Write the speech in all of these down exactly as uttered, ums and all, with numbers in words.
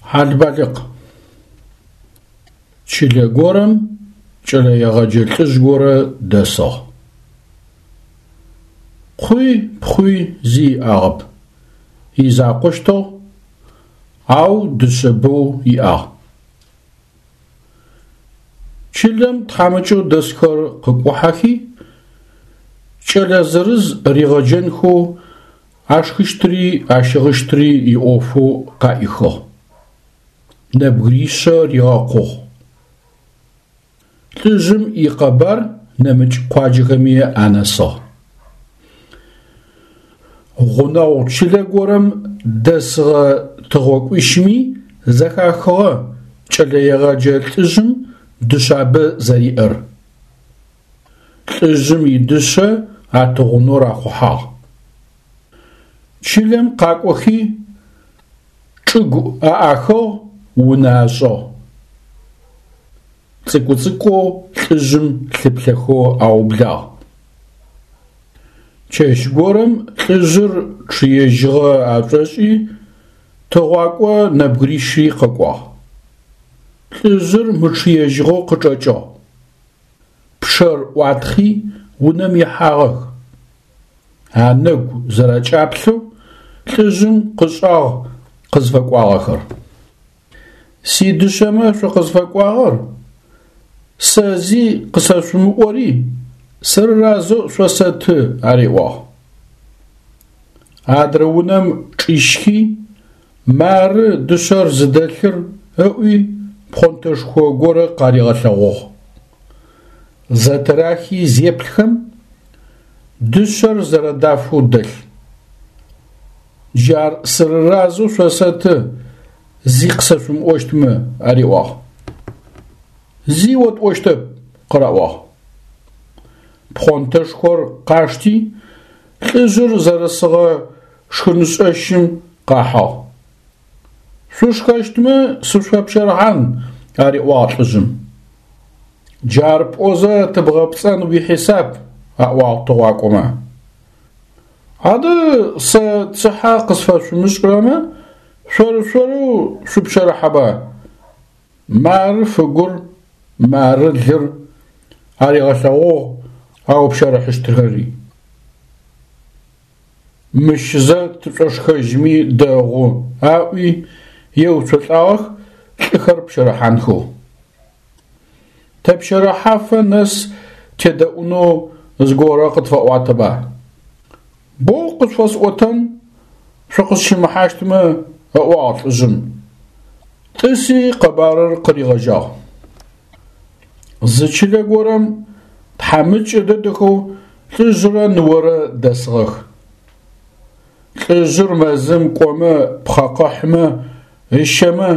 Хьалбалыкъ. Чылэ горэм кӏэлэегъэджэ лӏыжъ горэ дэсыгъ. Къуи пхъуи зи иӏагъэп, изакъощтыгъ, ау дышъэ бэу иӏагъ. Чылэм тхьамыкӏэу дэсхэр къыкӏухьэхи, кӏэлэ зырыз ригъэджэнхэу ашхыщтыри ащыгъыщтыри иӏофэу къаӏихыгъ. Нэбгыришъэ ригъэкъугъ. Лӏыжъым икъэбар нэмыкӏ къуаджэхэми анэсыгъ. Гъунэгъу чылэ горэм дэсыгъэ тыгъокӏуищми зэхахыгъэ кӏэлэегъэджэ лӏыжъым дышъабэ зэриӏэр. Лӏыжъым идышъэ атыгъунэу рахъухьагъ. Чылэм къакӏохи чӏыгу аӏахыгъ, унэ ашӏыгъ. Цӏыкӏу-цӏыкӏоу лӏыжъым лъыплъэхэу аублагъ. Чэщ горэм лӏыжъыр чъыежьыгъэ ашӏошӏи, тыгъуакӏо нэбгырищри къэкӏуагъ. Лӏыжъыр мычъыежьыгъэу къычӏэкӏыгъ. Пчъэр ӏуатхъи унэм ихьагъэх. Анэгу зэрэкӏаплъэу лӏыжъым къышӏагъ къызфэкӏуагъэхэр. Сидышъэмэ шъукъызфэкӏуагъэр, сэ зи къысэшъумыӏори, сырыразэу шъосэты, ариӏуагъ. Адрэ унэм чӏищхи, мары дышъэр зыдэлъыр ыӏуи пхъонтэшхо горэ къаригъэлъэгъугъ. Зэтырахи зеплъхэм, дышъэр зэрэдафэу дэлъ. Джар сырыразэу шъосэты, зи къысэшъумыӏощтмэ, ариӏуагъ. Зи отӏощтэп, къыраӏуагъ. Пхъонтэшхор къашти, лӏыжъыр зэрысыгъэ шхыншӏэщым къахьыгъ. Шъушхэщтмэ сышъуфэпщэрыхьан, ариӏуагъ лӏыжъым. Джар пӏозэ тыбгъэпцӏэн уихьисап, аӏуагъ тыгъуакӏомэ. Адэ сэ цыхьэ къысфэшъумышӏырэмэ, шъор-шъорэу шъупщэрыхьэба? Мары фыгур, мары лыр, аригъэлъэгъугъ аупщэрыхьыщтхэри. Мыщ зэ тышӏошхэжьми дэгъу, аӏуи еуцолӏагъэх лӏыхэр пщэрыхьанхэу. Тэпщэрыхьафэ нэс тедэӏунэу зыгорэ къытфэӏуатэба. Боу къышъуфэсӏотэн, шъукъысщымыхьащтмэ, ыӏуагъ лӏыжъым. Тӏыси къэбарыр къыригъэжьагъ. Зы чылэ горэм тхьамыкӏэ дэдэхэу лӏыжъырэ ныорэ дэсыгъэх. Лӏыжъыр мэзым кӏомэ пхъэ къыхьмэ, ыщэмэ,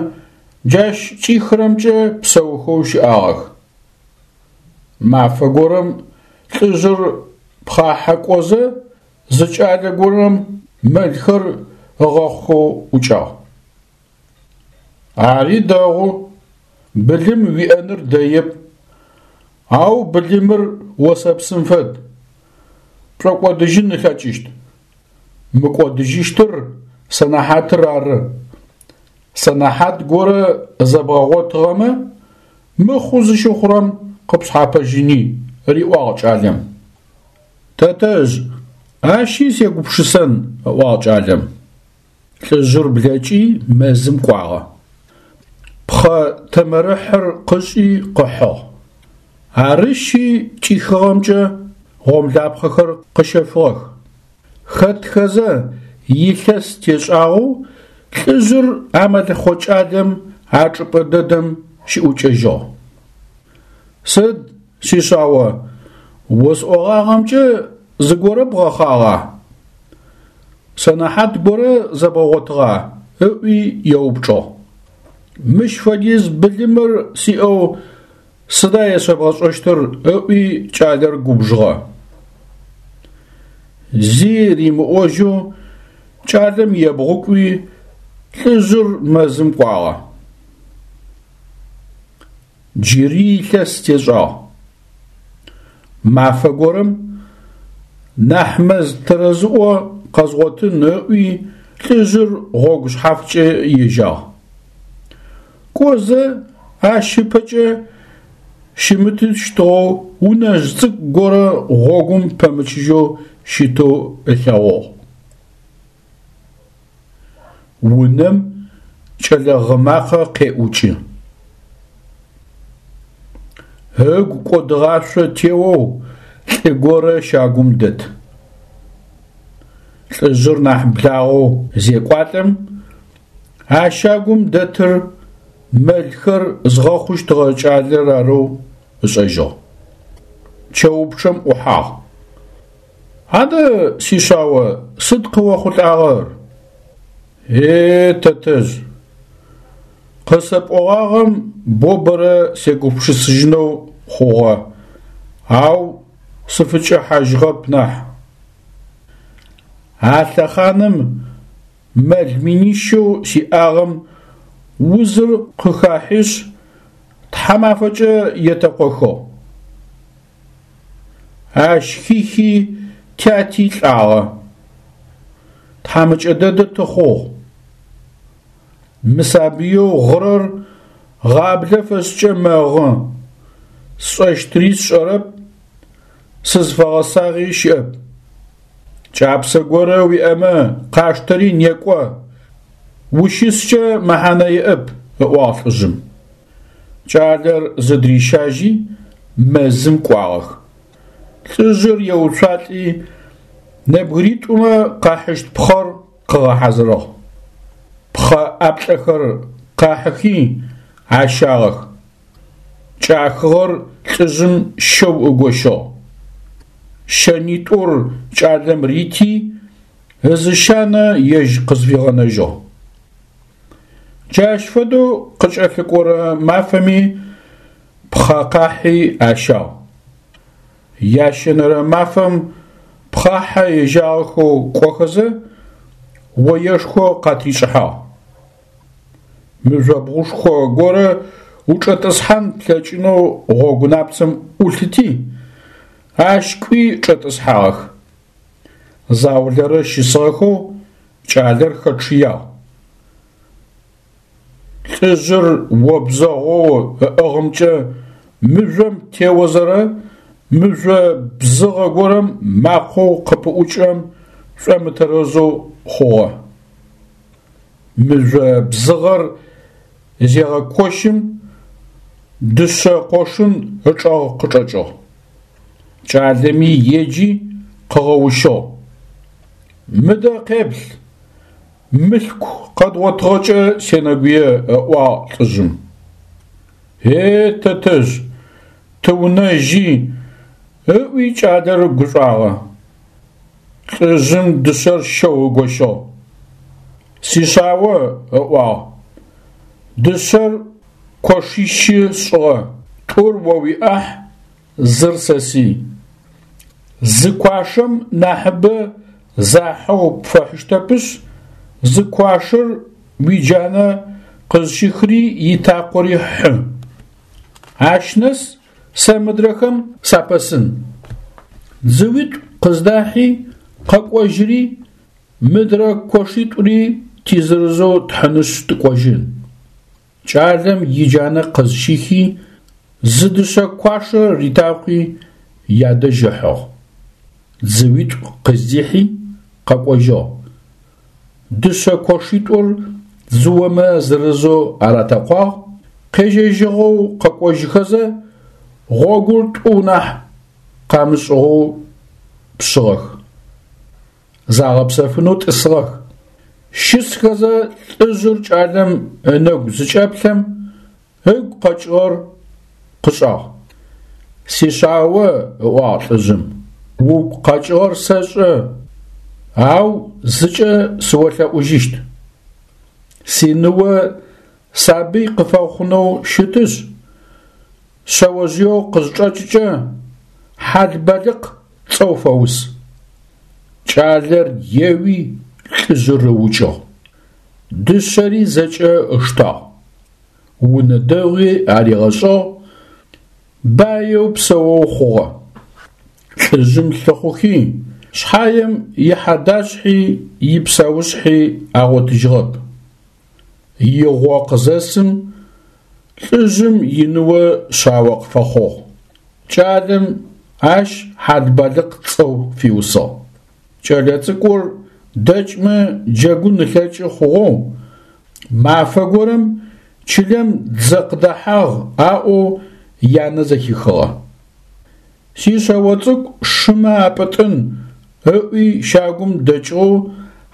джащ кӏихырэмкӏэ псэухэу щыӏагъэх. Мафэ горэм лӏыжъыр пхъахьэ кӏозэ зы кӏалэ горэм мэлхэр ыгъэхъухэу ӏукӏагъ. Ари дэгъу, былым уиӏэныр дэеп, ау былымыр осэпсым фэд, пшӏокӏодыжьын ылъэкӏыщт. Мыкӏодыжьыщтыр сэнэхьатыр ары. Сэнэхьат горэ зэбгъэгъотыгъэмэ, мыхъу зыщыхъурэм къыпшъхьапэжьыни, риӏуагъ кӏалэм. Тэтэжъ, ащи сегупшысэн, ыӏуагъ кӏалэм. Лӏыжъыр блэкӏи мэзым кӏуагъэ. Пхъэ тэмэрыхьыр къышӏи къыхьыгъ. Ар ыщи кӏихыгъэмкӏэ гъомлапхъэхэр къыщэфыгъэх. Хэтхэзэ илъэс тешӏагъэу лӏыжъыр а мэлэхъо кӏалэм а чӏыпӏэ дэдэм щыӏукӏэжьыгъ. Сыд, сишъао, осӏогъагъэмкӏэ зыгорэ бгъэхъагъа? Сэнэхьат горэ зэбгъэгъотыгъа? Ыӏуи еупчӏыгъ. Мыщ фэдиз былымыр сиӏэу сыда есэбгъэшӏэщтыр? Ыӏуи кӏалэр губжыгъэ. Зи римыӏожьэу кӏалэм ебгъукӏуи лӏыжъыр мэзым кӏуагъэ. Джыри илъэс тешӏагъ. Мафэ горэм нахь мэз тэрэзыӏо къэзгъотын ыӏуи лӏыжъыр гъогу шъхьафкӏэ ежьагъ. Кӏозэ ащ ыпэкӏэ щымытыщтыгъэу унэжъ цӏыкӏу горэ гъогум пэмычыжьэу щытэу ылъэгъугъ. Унэм кӏэлэ гъы макъэ къеӏукӏы. Ыгу кӏодыгъашъо теоу лӏы горэ щагум дэт. Лӏыжъыр нахь благъэу зекӏуалӏэм, а щагум дэтыр мэлхэр зыгъэхъущтыгъэ кӏалэр арэу ышӏэжьыгъ. Чэупчъэм ӏухьагъ. Адэ, сишъао, сыд къыохъулӏагъэр? Е, тэтэжъ, къысэпӏогъагъэм бо бэрэ сегупшысыжьынэу хъугъэ, ау сыфыкӏэхьажьыгъэп нахь. А лъэхъаным мэл минищэу сиӏагъэм узыр къыхахьишъ, тхьамафэкӏэ етэкъохыгъ. Ащ хихи тяти лӏагъэ. Тхьамыкӏэ дэдэ тыхъугъ. Мы сабыеу гъырэр гъаблэ фэшӏкӏэ мэгъы, сшӏэщтыри сшӏэрэп, сызфэгъэсагъи щыӏэп. Кӏапсэ горэ уиӏэмэ къаштэри некӏо, ущыскӏэ мэхьанэ иӏэп, ыӏуагъ лӏыжъым. Кӏалэр зыдырищажьи мэзым кӏуагъэх. Лӏыжъыр еуцуалӏи нэбгыритӏумэ къахьыщт пхъэр къыгъэхьазырыгъ. Пхъэ ӏаплӏэхэр къахьыхи ащагъэх. Кӏахыгъэр лӏыжъым щэу ыгощыгъ. Щэнитӏур кӏалэм рити, ызы щанэ ежь къызфигъэнэжьыгъ. Джащ фэдэу къыкӏэлъыкӏорэ мафэми пхъэ къахьи ащагъ. Ящэнэрэ мафэм пхъахьэ ежьагъэхэу кӏохэзэ оешхо къатришӏыхьагъ. Мыжъобгъушхо горэ учӏэтӏысхьан плъэкӏынэу гъогу напцэм ӏулъыти, ащ кӏуи чӏэтӏысхьагъэх. Заулэрэ щысыгъэхэу кӏалэр хэчъыягъ. Лӏыжъыр обзэгъоу ыӏыгъымкӏэ мыжъом теозэрэ мыжъо бзыгъэ горэм макъэу къыпыӏукӏырэм шӏомытэрэзэу хъугъэ. Мыжъо бзыгъэр зегъэкощым дышъэ къошын ычӏэгъ къычӏэкӏыгъ. Кӏалэми еджи къыгъэущыгъ. Мыдэ къеплъ, мылъку къэдгъотыгъэкӏэ сенэгуе, ыӏуагъ лӏыжъым. Е, тэтэжъ, тыунэжьи, ыӏуи кӏалэр гушӏуагъэ. Лӏыжъым дышъэр щэу ыгощыгъ. Сишъао, ыӏуагъ, дышъэр кошищы сшӏыгъэ, тӏур о уиӏахь, зыр сэсый. Зы куашэм нахьыбэ захьэу пфэхьыщтэпышъ, зы куашэр уиджанэ къызщыхри итакъори хьы. Ащ нэс сэ мыдрэхэм сапэсын. Дзыуитӏу къыздахьи къэкӏожьыри, мыдрэ кошитӏури тизырызэу тхьынышъ тыкӏожьын. Кӏалэм иджанэ къызщихи, зы дышъэ куашэ ритакъуи ядэжь ыхьыгъ. Дзыуитӏу къыздихьи къэкӏожьыгъ. Дышъэ кошитӏур дзыомэ зырызэу аратэкъуагъ, къежьэжьыгъэу къэкӏожьыхэзэ гъогур тӏу нахь къамышӏыгъэу пшъыгъэх. Загъэпсэфынэу тӏысыгъэх. Щысхэзэ лӏыжъыр кӏалэм ынэгу зыкӏэплъэм ыгу къэкӏыгъэр къышӏагъ. Сишъао, ыӏуагъ лӏыжъым, угу къэкӏыгъэр сэшӏэ, ау зыкӏэ сыолъэӏужьыщт. Синыо сабый къыфэхъунэу щытышъ, шъэожъыеу къызчӏэкӏыкӏэ Хьалбалыкъ цӏэу фэус. Кӏалэр еуи лӏыжъыр ыукӏыгъ. Дышъэри зэкӏэ ыштагъ. Унэ дэгъуи аригъэшӏыгъ, баеу псэоу хъугъэ. Лӏыжъым лъыхъухи, шъхьаем ихьадашъхьи ипсэушъхьи агъотыжьыгъэп. Игъо къызэсым Лӏыжъым иныо шъао къыфэхъугъ. Кӏалэм ащ Хьалбалыкъ цӏэу фиусыгъ. Кӏэлэцӏыкӏур дэкӏмэ джэгун ылъэкӏы хъугъэу, мафэ горэм чылэм дзэ къыдэхьагъ аӏоу янэ зэхихыгъэ. Сишъэо цӏыкӏу шымэ апӏытӏын ыӏуи щагум дэкӏыгъэу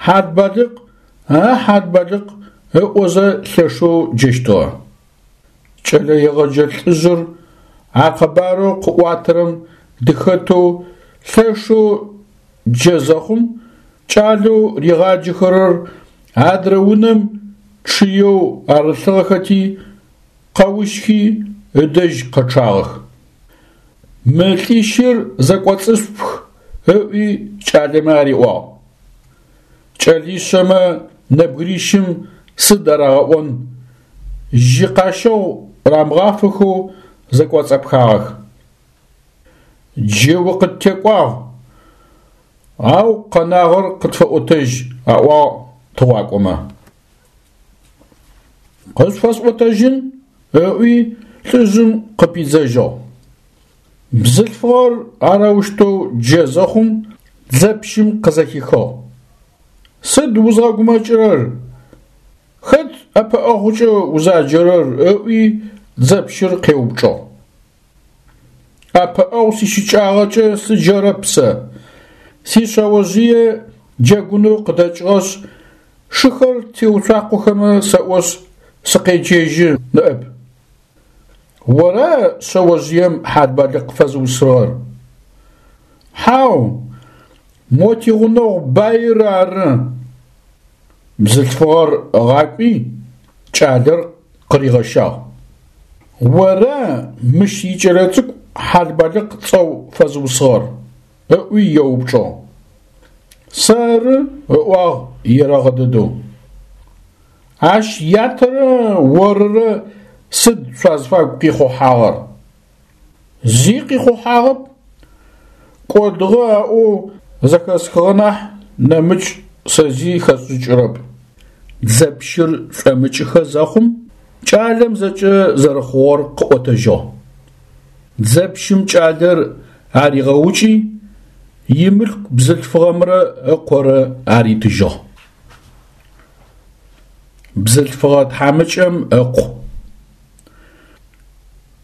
«Хьалбалыкъ, а Хьалбалыкъ» ыӏозэ лъэшэу джэщтыгъэ. Кӏэлэегъэджэ лӏыжъыр а къэбарэу къыӏуатэрэм дыхэтэу лъэшэу джэ зэхъум кӏалэу ригъаджэхэрэр адрэ унэм чъыеу арылъыгъэхэти къэущхи ыдэжь къэчъагъэх. Мы лӏищыр зэкӏоцӏышъупх ыӏуи кӏалэмэ ариӏуагъ. Кӏэлишъэмэ нэбгырищым сыд арагъэӏон, жьы къащэгъу рамыгъафэхэу зэкӏоцӏэпхагъэх. Джы укъыттекӏуагъ, ау къэнагъэр къытфэӏотэжь, аӏуагъ тыгъуакӏомэ. Къышъуфэсӏотэжьын, ыӏуи лӏыжъым къыпидзэжьыгъ. Бзылъфыгъэр арэущтэу джэ зэхъум дзэпщым къызэхихыгъ. Сыд узгъэгумэкӏырэр? Хэт ӏэпыӏэгъукӏэ узаджэрэр? Ыӏуи дзэпщыр къеупчӏыгъ. Ӏэпыӏэгъу сищыкӏагъэкӏэ сыджэрэп сэ. Сишъэожъые джэгунэу къыдэкӏыгъэшъ, шыхэр теуцуакъохэмэ сэӏошъ сыкъеджэжьы ныӏэп. Ора шъэожъыем Хьалбалыкъ фэзыусыгъэр? Хьау, мо тигъунэгъу баир ары. Бзылъфыгъэр ыгъакӏуи кӏалэр къыригъэщагъ. Ора мыщ икӏэлэцӏыкӏу Хьалбалыкъ цӏэу фэзыусыгъэр? Ыӏуи еупчӏыгъ. Сэры, ыӏуагъ ерэгъэ дэдэу. Ащ ятэрэ орырэ сыд шъуазфагу къихъухьагъэр? Зи къихъухьагъэп. Кӏодыгъэ аӏоу зэхэсхыгъэ нахь нэмыкӏ сэ зи хэсшӏыкӏырэп. Дзэпщыр шӏомыкӏыхэ зэхъум кӏалэм зэкӏэ зэрэхъугъэр къыӏотэжьыгъ. Дзэпщым кӏалэр аригъэукӏи имылъку бзылъфыгъэмрэ ыкъорэ аритыжьыгъ. Бзылъфыгъэ тхьамыкӏэм ыкъу.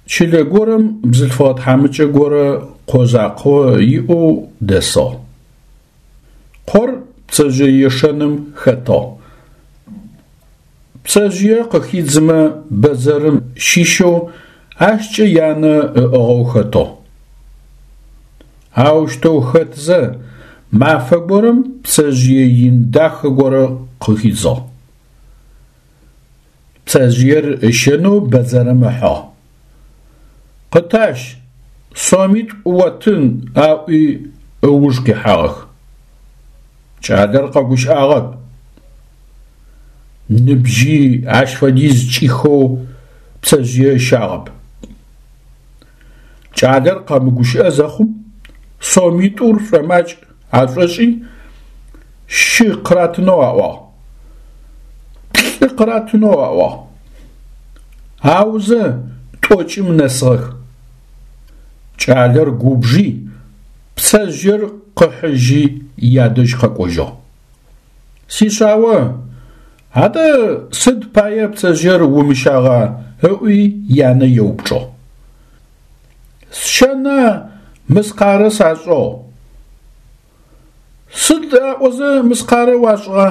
Чылэ горэм бзылъфыгъэ тхьамыкӏэ горэ къо закъо иӏэу дэсыгъ. Къор пцэжъыеешэным хэтыгъ. Пцэжъые къыхидзымэ бэдзэрым щищэу ащкӏэ янэ ыӏыгъэу хэтыгъ. Аущтэу хэтзэ мафэ горэм пцэжъые ин дахэ горэ къыхидзыгъ. Пцэжъыер ыщэнэу бэдзэрым ыхьыгъ. Къытащ, сомитӏу оттын аӏуи ыуж къихьагъэх. Кӏалэр къэгущыӏагъэп. Ныбжьи ащ фэдиз кӏихэу пцэжъые ыщагъэп. Кӏалэр къэмыгущыӏэ зэхъум сомитӏур шӏомакӏ ашӏошӏи щы къыратынэу аӏуагъ. Плӏы къыратынэу аӏуагъ. Аузэ тӏокӏым нэсыгъэх. Кӏалэр губжи, пцэжъыер къыхьыжьи ядэжь къэкӏожьыгъ. Сишъао, адэ сыд пае пцэжъыер умыщагъа? Ыӏуи янэ еупчӏыгъ. Сщэна мыскъарэ сашӏыгъ. Сыд аӏозэ мыскъарэ уашӏыгъа?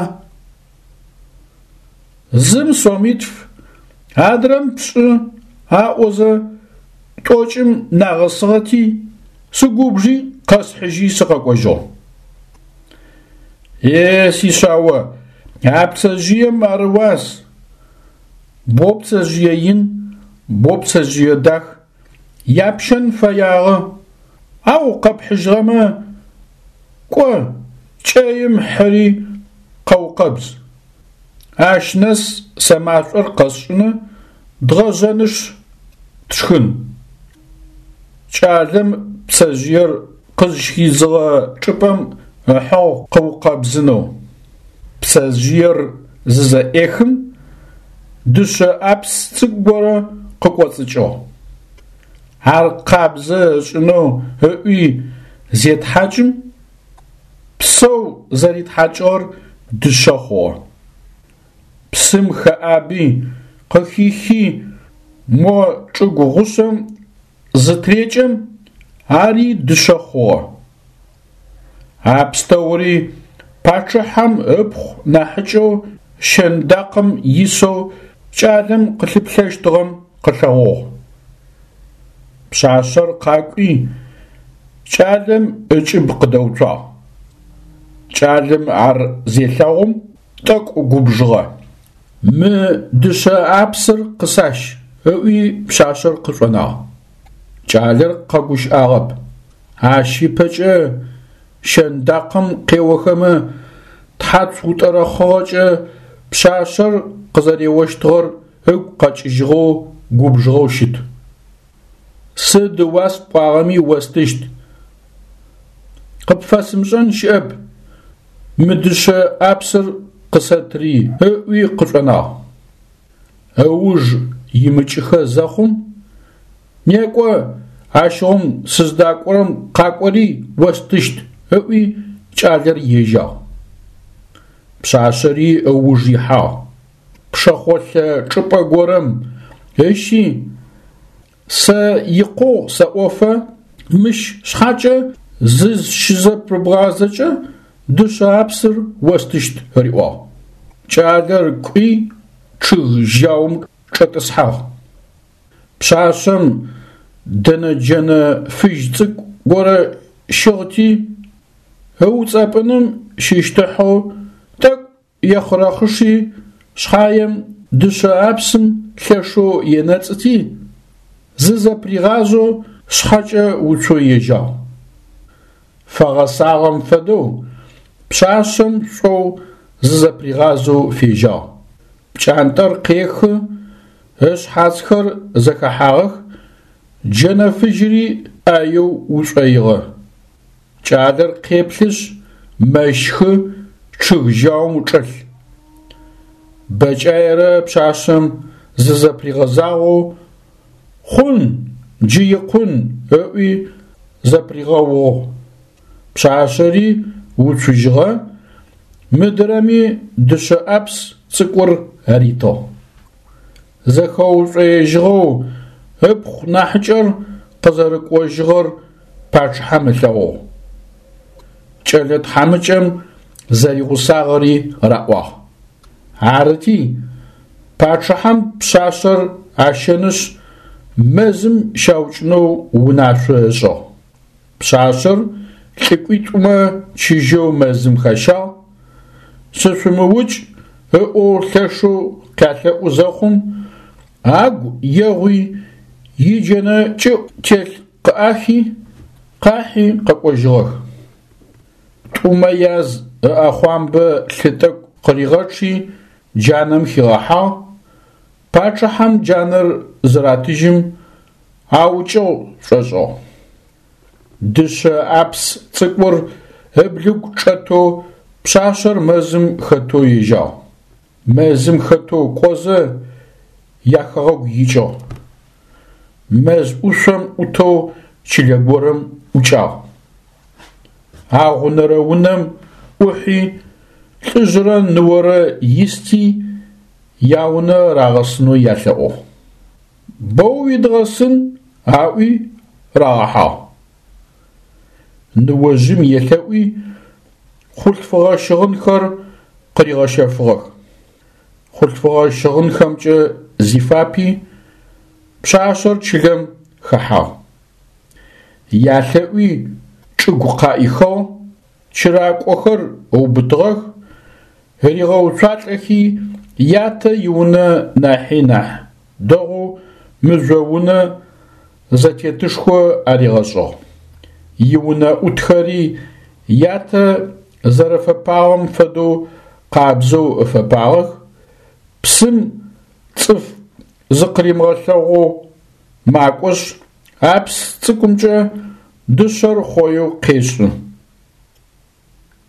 Зым сомитф, адрэм пшӏы аӏозэ тӏокӏым нагъэсыгъэти сыгубжи къэсхьыжьи сыкъэкӏожьыгъ. Е сишъао, а пцэжъыем ар ыуас. Бо пцэжъые ин, бо пцэжъые дах, япщэн фэягъэ, ау къэпхьыжьыгъэмэ, кӏо, кӏэим хьыри къэукъэбз. Ащ нэс сэ машӏор къэсшӏыны, дгъэжъэнышъ тшхын. Кӏалэм пцэжъыер къызщыхидзыгъэ чӏыпӏэм ыхьыгъ къыукъэбзынэу. Пцэжъыер зызэӏехым дышъэ ӏапс цӏыкӏу горэ къыкӏоцӏыкӏыгъ. Ар къабзэ ышӏынэу ыӏуи зетхьакӏым, псэу зэритхьакӏыгъэр дышъэ хъугъэ. Псым хэӏаби, къыхихи, мо чӏыгу гъушъэм зытырекӏэм, ари дышъэ хъугъэ. А пстэури пачъыхьэм ыпхъу нахьыкӏэу щэндакъым исэу кӏалэм къылъыплъэщтыгъэм къылъэгъугъ. Пшъашъэр къакӏуи кӏалэм ыкӏыб къыдэуцуагъ. Кӏалэм ар зелъэгъум тӏэкӏу губжыгъэ. Мы дышъэ ӏапсыр къысащ, ыӏуи пшъашъэр къышӏонагъ. Кӏалэр къэгущыӏагъэп. Ащ ыпэкӏэ щэндакъым къеохэмэ тхьацу утӏэрэхъыгъэкӏэ пшъашъэр къызэреощтыгъэр ыгу къэкӏыжьыгъэу губжыгъэу щыт. Сыд ыуас пӏуагъэми остыщт. Къыпфэсымышӏэн щыӏэп, мы дышъэ ӏапсыр къысэтри, ыӏуи къышӏонагъ. Ыуж имыкӏыхэ зэхъум, некӏо, ащыгъум сыздакӏорэм къакӏори остыщт, ыӏуи кӏалэр ежьагъ. Пшъашъэри ыуж ихьагъ. Пшэхъолъэ чӏыпӏэ горэм ыщи, сэ икъугъ сэӏофэ мыщ шъхьакӏэ зызщызэпрыбгъазэкӏэ дышъэ ӏапсыр остыщт, ыриӏуагъ. Кӏалэр кӏуи чъыг жьаум чӏэтӏысхьагъ. Пшъашъэм дэнэ джэнэ фыжь цӏыкӏу горэ щыгъти, ыуцӏэпӏыным щыщтыхьэу тӏэкӏу ехъырэхъыши, шъхьаем дышъэ ӏапсым лъэшэу енэцӏыти, зызэпригъазэу шъхьэкӏэ уцоу ежьагъ. Фэгъэсагъэм фэдэу пшъашъэм шӏоу зызэпригъазэу фежьагъ. Пкӏантӏэр къехы, ышъхьацхэр зэхэхьагъэх, джэнэ фыжьыри ӏаеу ушӏоигъэ. Кӏалэр къеплъышъ, мэщхы, чъыг жьаум чӏэлъ. Бэкӏаерэ пшъашъэм зызэпригъэзагъэу хъун, джы икъун, ыӏуи зэпригъэугъ. Пшъашъэри уцужьыгъэ, мыдрэми дышъэ ӏапс цӏыкӏур аритыгъ. Зэхэушӏоежьыгъэу ыпхъу нахьыкӏэр къызэрыкӏожьыгъэр пачъыхьэм ылъэгъугъ. Кӏэлэ тхьамыкӏэм зэригъусагъэри раӏуагъ. Арыти, пачъыхьэм пшъашъэр ащэнышъ мэзым щаукӏынэу унашъо ышӏыгъ. Пшъашъэр лӏыкӏуитӏумэ чыжьэу мэзым хащагъ, сышъумыукӏ ыӏоу лъэшэу къялъэӏу зэхъум, агу егъуи иджэнэ кӏыӏу телъ къыӏахи, къахьи къэкӏожьыгъэх. Тӏумэ яз ыӏэхъуамбэ лъы тӏэкӏу къыригъэчъи джанэм хигъэхьагъ, пачъыхьэм джанэр зыратыжьым аукӏыгъ шӏошӏыгъ. Дышъэ ӏапс цӏыкӏур ыблыгу чӏэтэу пшъашъэр мэзым хэтэу ежьагъ. Мэзым хэтэу кӏозэ яхэгъэгу икӏыгъ. Мэз ӏушъом ӏутэу чылэ горэм ӏукӏагъ. Агъунэрэ унэм ӏухьи, лӏыжъырэ ныорэ исти яунэ рагъэсынэу ялъэӏугъ. Боу уидгъэсын, аӏуи рагъэхьагъ. Ныожъым елъэӏуи хъулъфыгъэ щыгъынхэр къыригъэщэфыгъэх. Хъулъфыгъэ щыгъынхэмкӏэ зифапи, пшъашъэр чылэм хэхьагъ. Ялъэӏуи чӏыгу къаӏихыгъ, чыракӏохэр ыубытыгъэх, ригъэуцуалӏэхи ятэ иунэ нахьи нахь дэгъоу мыжъо унэ зэтетышхо аригъэшӏыгъ. Иунэ ӏутхэри ятэ зэрэфэпагъэм фэдэу къабзэу ыфэпагъэх, псым цӏыф зыкъыримыгъэлъэгъоу макӏошъ, ӏапс цӏыкӏумкӏэ дышъэр хъоеу къешӏы.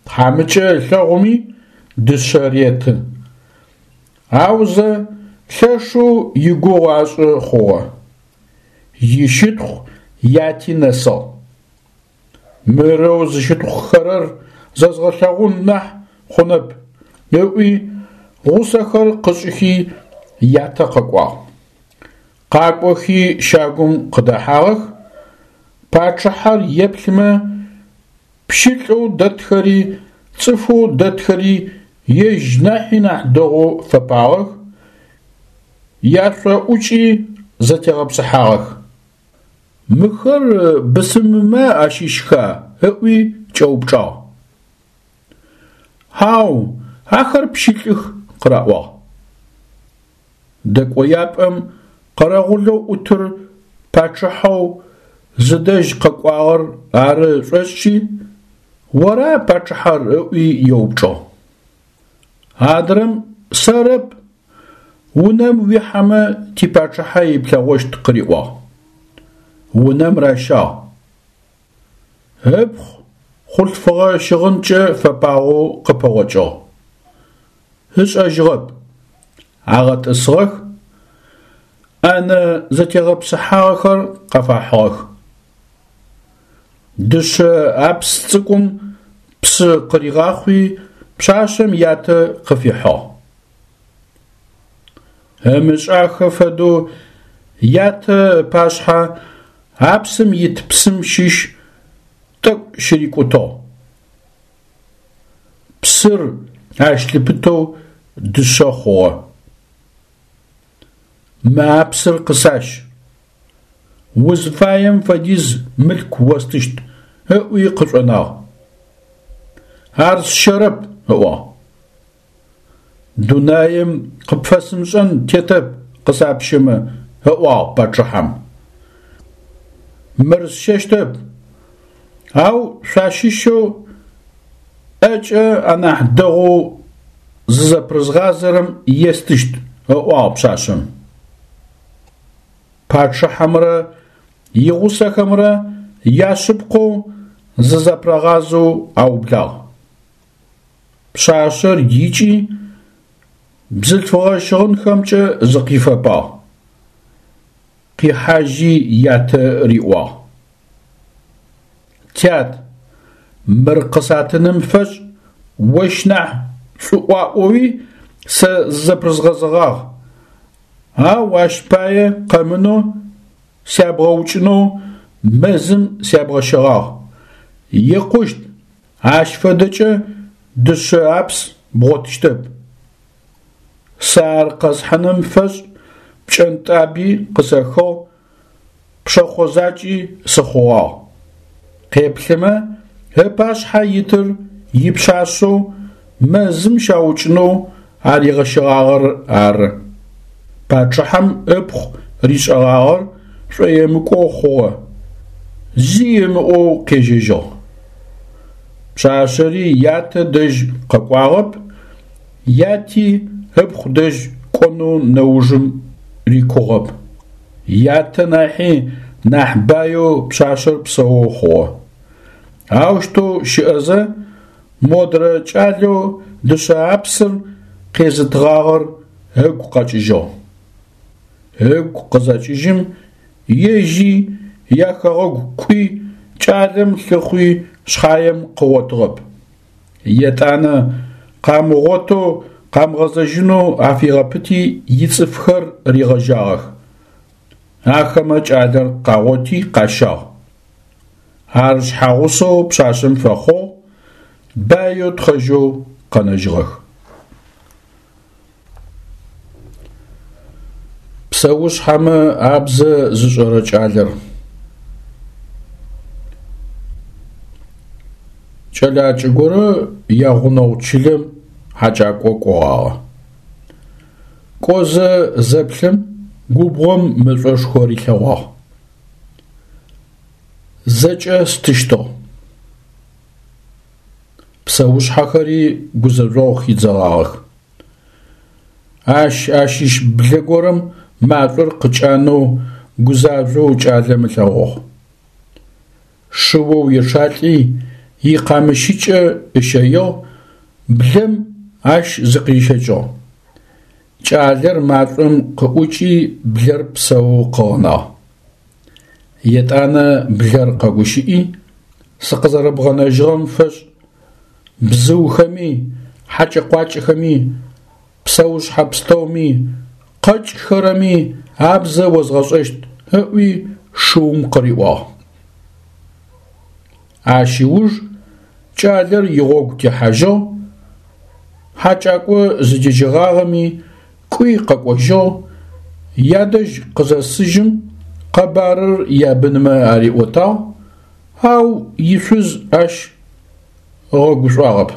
Тхьамыкӏэ ылъэгъуми дышъэ реты. Аузэ Лъэшэу игугъу ашӏы хъугъэ, ищытхъу яти нэсыгъ. Мырэу зыщытхъухэрэр зэзгъэлъэгъун нахь хъунэп, ыӏуи гъусэхэр къышӏыхи ятэ къэкӏуагъ. Къакӏохи щагум къыдэхьагъэх, пачъыхьэр еплъымэ, пщылӏэу дэтхэри цӏыфэу дэтхэри ежь нахьи нахь дэгъоу фэпагъэх, яшъоӏукӏи зэтегъэпсыхьагъэх. Мыхэр бысымымэ ащыщха? ыӏуи кӏэупчӏагъ. Хьау, ахэр пщылӏых, къыраӏуагъ. Дэкӏояпӏэм къэрэгъулэу ӏутыр пачъыхьэу зыдэжь къэкӏуагъэр ары ышӏошӏи, ора пачъыхьэр ыӏуи еупчӏыгъ. Адрэм сэрэп, унэм уихьэмэ типачъыхьэ иплъэгъощт къыриӏуагъ. Унэм ращагъ. Ыпхъу хъулъфыгъэ щыгъынкӏэ фэпагъэу къыпэгъокӏыгъ. Ышӏэжьыгъэп. Агъэтӏысыгъэх, ӏэнэ зэтегъэпсыхьагъэхэр къафахьыгъэх. Дышъэ апс цӏыкӏум псы къыригъахъуи пшъашъэм ятэ къыфихьыгъ. Ымышӏахэ фэдэу ятэ ыпашъхьэ апсым ит псым щыщ тӏэкӏу щырикӏутыгъ. Псыр ащ лъыпытэу дышъэ хъугъэ. Мы апсыр къысащ, узфаем фэдиз мылъку остыщт, ыӏуи къышӏонагъ. Ар сщэрэп, ыӏуагъ. Дунаем къыпфэсымышӏэн тетэп къысапщэмэ, ыӏуагъ пачъыхьэм. Мыр сщэщтэп, ау шъуащыщэу ӏэкӏэ анахь дэгъоу зызэпрызгъазэрэм естыщт, ыӏуагъ пшъашъэм. Пачъыхьэмрэ игъусэхэмрэ яшъыпкъэу зызэпрагъазэу аублагъ. Пшъашъэр икӏи бзылъфыгъэ щыгъынхэмкӏэ зыкъифэпагъ. Къихьажьи ятэ риӏуагъ: Тят, мыр къысатыным фэшӏ ощ нахь шӏуӏуаӏоуи сэ зызэпрызгъэзэгъагъ, ау ащ пае къэмынэу сябгъэукӏынэу мэзым сябгъэщэгъагъ. Икъущт, ащ фэдэкӏэ дышъэ апс бгъотыщтэп. Сэ ар къэсхьыным фэшӏ пкӏэнтӏаби къысэхыгъ, пшэхъо закӏи сыхъугъагъ. Къеплъымэ, ыпашъхьэ итыр ипшъашъэу мэзым щаукӏынэу аригъэщэгъагъэр ары. Пачъыхьэм ыпхъу ришӏэгъагъэр шӏоемыкӏоу хъугъэ, зи ымыӏоу къежьэжьыгъ. Пшъашъэри ятэ дэжь къэкӏуагъэп, яти ыпхъу дэжь кӏонэу нэужым рикугъэп. Ятэ нахьи нахь баеу пшъашъэр псэоу хъугъэ. Аущтэу щыӏэзэ модрэ кӏалэу дышъэ апсыр къезытыгъагъэр ыгу къэкӏыжьыгъ. Ыгу къызэкӏыжьым ежьи яхэгъэгу кӏуи кӏалэм лъыхъуи шъхьаем къыгъотыгъэп. Етӏанэ къамыгъотэу къамыгъэзэжьынэу афигъэпыти ицӏыфхэр ригъэжьагъэх. Ахэмэ кӏалэр къагъоти къащагъ. Ар шъхьагъусэу пшъашъэм фэхъугъ, баеу тхъэжьэу къэнэжьыгъэх. Псэушъхьэмэ абзэ зышӏэрэ кӏалэр. Кӏэлакӏэ горэ ягъунэгъу чылэм хьакӏакӏо кӏогъагъэ. Кӏозэ зэплъэм губгъом мэшӏошхо рилъэгъуагъ. Зэкӏэ стыщтыгъ. Псэушъхьэхэри гузэжъогъу хидзэгъагъэх. Ащ ащыщ блэ горэм машӏор къыкӏанэу гузажъоу кӏалэм ылъэгъугъ. Шыоу ечъалӏи икъамыщыкӏэ ыщэигъ, блэм ащ зыкъырищэкӏыгъ. Кӏалэр машӏом къыӏукӏи блэр псэоу къыгъэнагъ. Етӏанэ блэр къэгущыӏи: «Сыкъызэрэбгъэнэжьыгъэм фэшӏ бзыухэми, хьакӏэ-къуакӏэхэми, псэушъхьэ пстэуми, къэкӏхэрэми абзэ озгъэшӏэщт», – ыӏуи шыум къыриӏуагъ. Ащ ыуж кӏалэр игъогу техьажьыгъ, хьакӏакӏо зыдежьэгъагъэми кӏуи къэкӏожьыгъ, ядэжь къызэсыжьым къэбарыр ябынмэ ариӏотагъ, ау ишъуз ащ ыгъэгушӏуагъэп.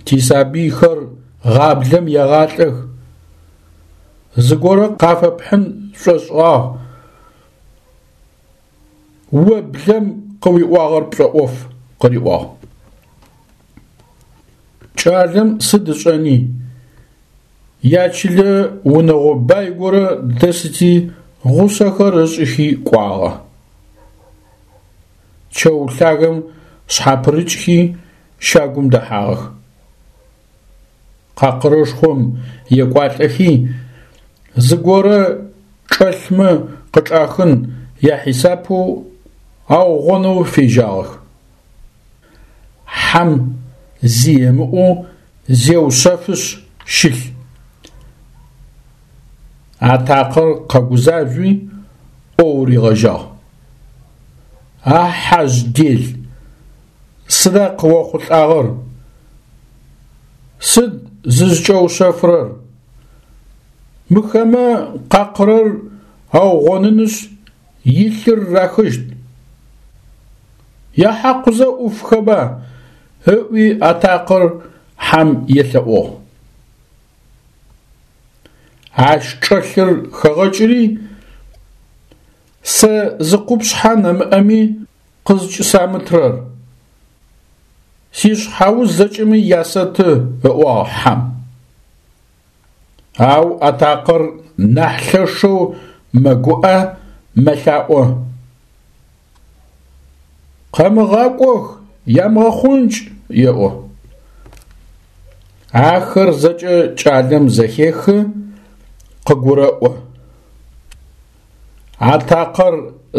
Тисабыйхэр гъаблэм егъалӏэх, зыгорэ къафэпхьын сшӏошӏыгъагъ, о блэм къыуиӏуагъэр пшӏоӏоф, – къыриӏуагъ. Кӏалэм сыд ышӏэни, ячылэ унэгъо бай горэ дэсыти гъусэхэр ышӏыхи кӏуагъэ. Чэу лъагэм шъхьапырыкӏхи щагум дэхьагъэх. Къакъырышхом екӏуалӏэхи, зыгорэ чӏэлъмэ къычӏахын яхьисапэу аугъонэу фежьагъэх. Хьэм зи ымыӏоу зеушъэфышъ щылъ. Атакъэр къэгузажъуи ӏоу ригъэжьагъ: «А хьэжъ дел, сыда къыохъулӏагъэр? Сыд зызкӏэушъэфырэр? Мыхэмэ къакъырыр аугъонынышъ илъыр рахыщт. Яхьакъузэ ӏуфхэба», – ыӏуи атакъэр хьэм елъэӏугъ. Ащ чӏэлъыр хэгъэкӏыри, сэ зы къупшъхьэ нэмыӏэми къызкӏысамытырэр? Сишъхьауз зэкӏэми ясэты, – ыӏуагъ хьэм. Ау атакъэр нахь лъэшэу мэгуӏэ, мэлъаӏо: «Къэмыгъакӏох, ямыгъэхъункӏ!» – еӏо. Ахэр зэкӏэ кӏалэм зэхехы, къыгурэӏо. Атакъэр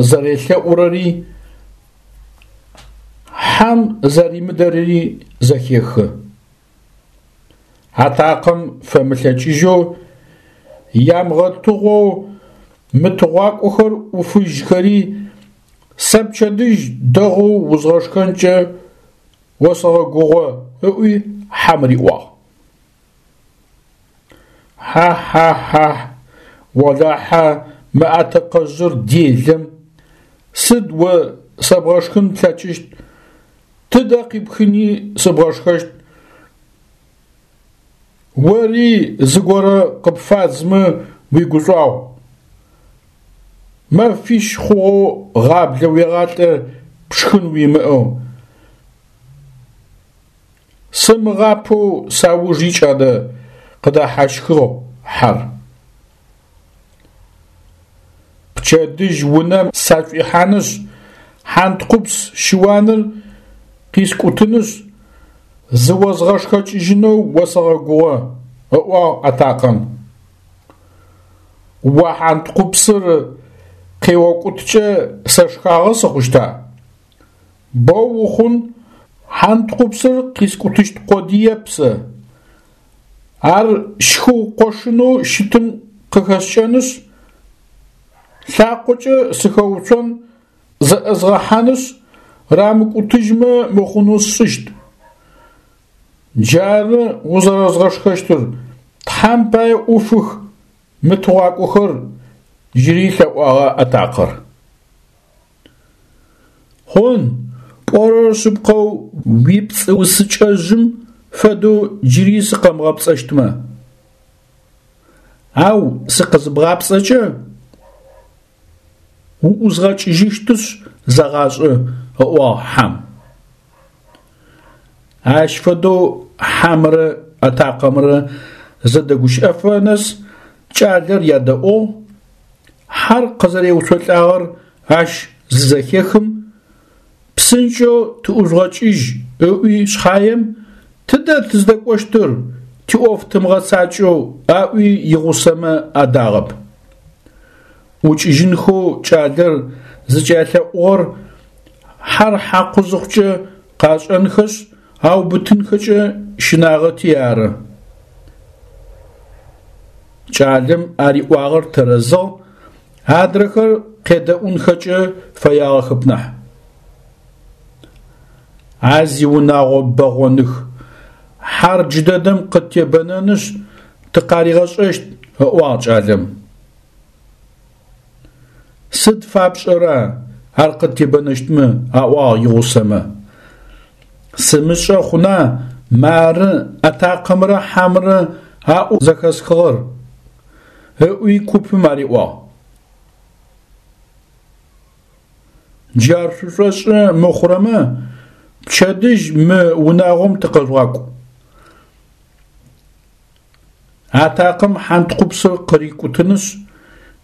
зэрелъэӏурэри, хьэм зэримыдэрэри зэхехы. Атакъэм фэмылъэкӏыжьэу «Ямыгъэтыгъоу мы тыгъуакӏохэр ӏуфыжьхэри, сэ пчэдыжь дэгъоу узгъэшхэнкӏэ осэгъэгугъэ», – ыӏуи хьэм риӏуагъ. Хьа-хьа-хьахь, олахьэ мы атэкъэжъыр делэм, сыд о сэбгъэшхын плъэкӏыщт, тыдэ къипхыни сыбгъэшхэщт, ори зыгорэ къыпфадзымэ уигушӏуагъу. Мэфищ хъугъэу гъаблэ уегъалӏэ пшхын уимыӏэу. Сымыгъапэу сауж икӏ адэ, – къыдэхьащхыгъ хьэр. Пчэдыжь унэм сашӏуихьанышъ, хьантхъупс щыуаныр къискӏутынышъ, зыозгъэшхэкӏыжьынэу осэгъэгугъэ, – ыӏуагъ атакъэм. О хьантхъупсыр къеокӏуткӏэ сэ шхагъэ сыхъущта? Боу ухъун, хьантхъупсыр къискӏутыщт къодыеп сэ. Ар щхыу къошынэу щытым къыхэскӏэнышъ, лъакъокӏэ сыхэуцон, зэӏызгъэхьанышъ, рамыкӏутыжьмэ мыхъунэу сшӏыщт. Джары узэрэзгъэшхэщтыр, Тхьэм пае ӏуфых мы тыгъуакӏохэр, джыри лъэӏуагъэ атакъэр. Хъун, пӏорэр шъыпкъэу уипцӏыусыкӏэжъым фэдэу джыри сыкъэмыгъэпцӏэщтмэ. Ау сыкъызыбгъапцӏэкӏэ, уӏузгъэкӏыжьыщтышъ зэгъашӏэ, – ыӏуагъ хьэм. Ащ фэдэу хьэмрэ атакъэмрэ зэдэгущыӏэфэ нэс кӏалэр ядэӏугъ, хьэр къызэреуцолӏагъэр ащ зызэхехым, псынкӏэу тыӏужъугъэкӏыжь ыӏуи шъхьаем, тыдэ тыздэкӏощтыр, тиӏоф тымыгъэцакӏэу, аӏуи игъусэмэ адагъэп. ӏукӏыжьынхэу кӏалэр зыкӏялъэӏугъэр хьэр хьакъу зыхъукӏэ къашӏэнхэшъ аубытынхэкӏэ щынагъэти ары. Кӏалэм ариӏуагъэр тэрэзыгъ, адрэхэр къедэӏунхэкӏэ фэягъэхэп нахь. А зиунагъо бэгъоных, хьэр джыдэдэм къыттебэнэнышъ тыкъаригъэшӏэщт, ыӏуагъ кӏалэм. Сыд фапшӏэра ар къыттебэнэщтмэ, аӏуагъ игъусэмэ. Сымышӏэ хъуна, мары атакъэмрэ хьэмрэ аӏоу зэхэсхыгъэр, ыӏуи купым ариӏуагъ. Джар шъушӏошъы мыхъурэмэ, пчэдыжь мы унагъом тыкъэжъугъакӏу. Атакъэм хьантхъупсыр къырикӏутынышъ,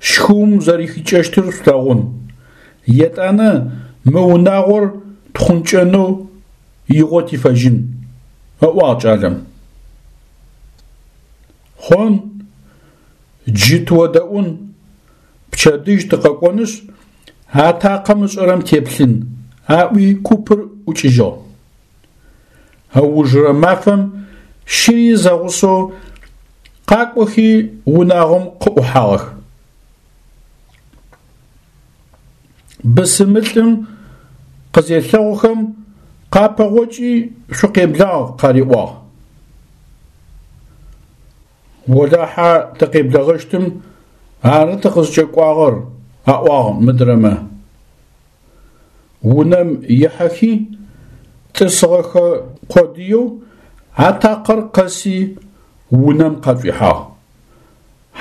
щхыум зэрэхикӏэщтыр шъулъэгъун. Етӏанэ мы унагъор тхъункӏэнэу игъо тифэжьын, ыӏуагъ кӏалэм. Хъун, джы тыодэӏун, пчэдыжь тыкъэкӏонышъ, атакъэм ышӏэрэм теплъын, аӏуи купыр ӏукӏыжьыгъ. Ыужырэ мафэм щыри зэгъусэу къакӏохи унагъом къыӏухьагъэх. Бысымылӏым къызелъэгъухэм къапэгъокӏи шъукъеблагъ къариӏуагъ. Олахьэ тыкъеблэгъэщтым, ары тыкъызкӏэкӏуагъэр, аӏуагъ мыдрэмэ. Унэм ихьэхи тӏысыгъэхэ къодыеу атакъэр къэси унэм къашӏуихьагъ.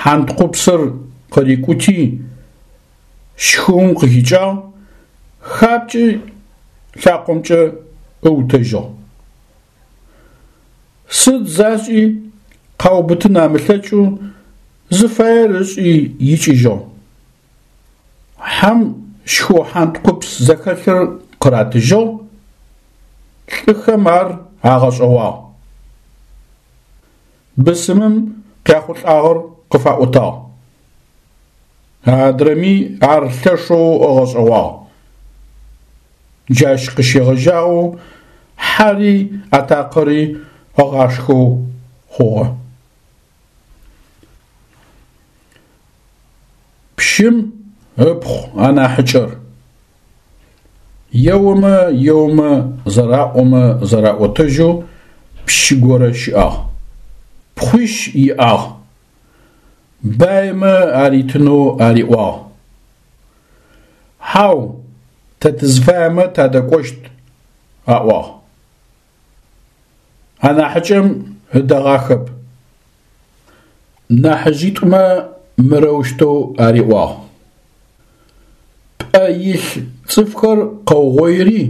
Хьантхъупсыр къырикӏути щхыум къыхикӏагъ, хапкӏи лъакъомкӏэ ыутэжьыгъ. Сыд зашӏи къаубытын амылъэкӏэу зыфаер ышӏи икӏыжьыгъ. Хьэм щхыу хьантхъупс зэхэлъыр къыратыжьыгъ, лӏыхэм ар агъэшӏэгъуагъ. Бысымым къяхъулӏагъэр къыфаӏотагъ. Адрэми ар лъэшэу ыгъэшӏэгъуагъ. Джащ къыщегъэжьагъэу хьэри атакъэри ыгъашхэу хъугъэ. Пщым ыпхъу анахьыкӏэр. Еомэ еомэ зэраӏомэ зэраӏотэжьэу пщы горэ щыӏагъ. Пхъуищ иӏагъ. Баймэ аритынэу ариӏуагъ. Хьау, тэ тызфаемэ тадэкӏощт, аӏуагъ. Анахьыкӏэм ыдэгъахэп. Нахьыжъитӏумэ мырэущтэу ариӏуагъ: Пӏэ илъ цӏыфхэр къэугъоири,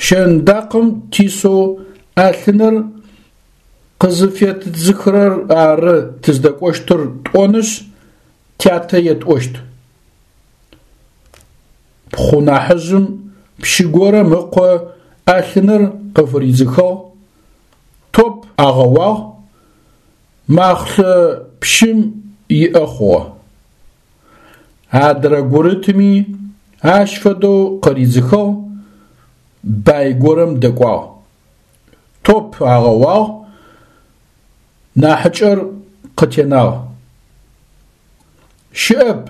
щэндакъым тисэу ӏэлъыныр къызыфетыдзыхырэр ары тыздэкӏощтыр тӏонышъ, тятэ етӏощт. Пхъу нахьыжъым пщы горэм ыкъо ӏэлъыныр къыфыридзыхыгъ, топ агъэуагъ, махълъэ пщым иӏэ хъугъэ. Адрэ гурытми ащ фэдэу къыридзыхыгъ, бай горэм дэкӏуагъ. Топ агъэуагъ, нахьыкӏэр къытенагъ. Щыӏэп,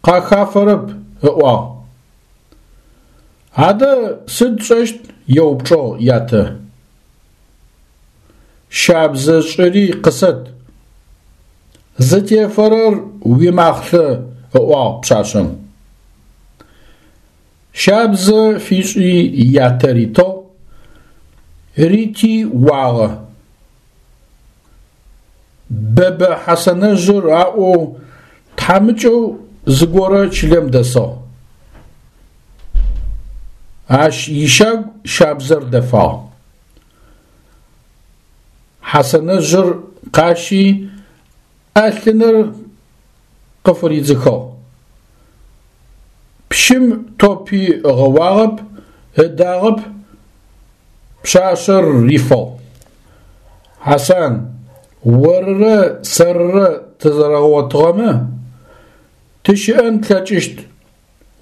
къахафэрэп, ыӏуагъ. Адэ сыд тшӏэщт? Еупчӏыгъ ятэ. Щабзэ шӏыри къысэт. Зытефэрэр уимахълъэ, ыӏуагъ пшъашъэм. Щабзэ фишӏи ятэ ритыгъ, рити уагъэ. Бэбэ Хьасанэжъыр аӏоу тхьамыкӏэу зыгорэ чылэм дэсыгъ. Ащ ищагу щабзэр дэфагъ. Хьасанэжъыр къащи ӏэлъыныр къыфыридзыхыгъ. Пщым топи ыгъэуагъэп, ыдагъэп, пшъашъэр рифыгъ. Хьасан, орырэ сэрырэ тызэрэгъотыгъэмэ, тыщыӏэн тлъэкӏыщт,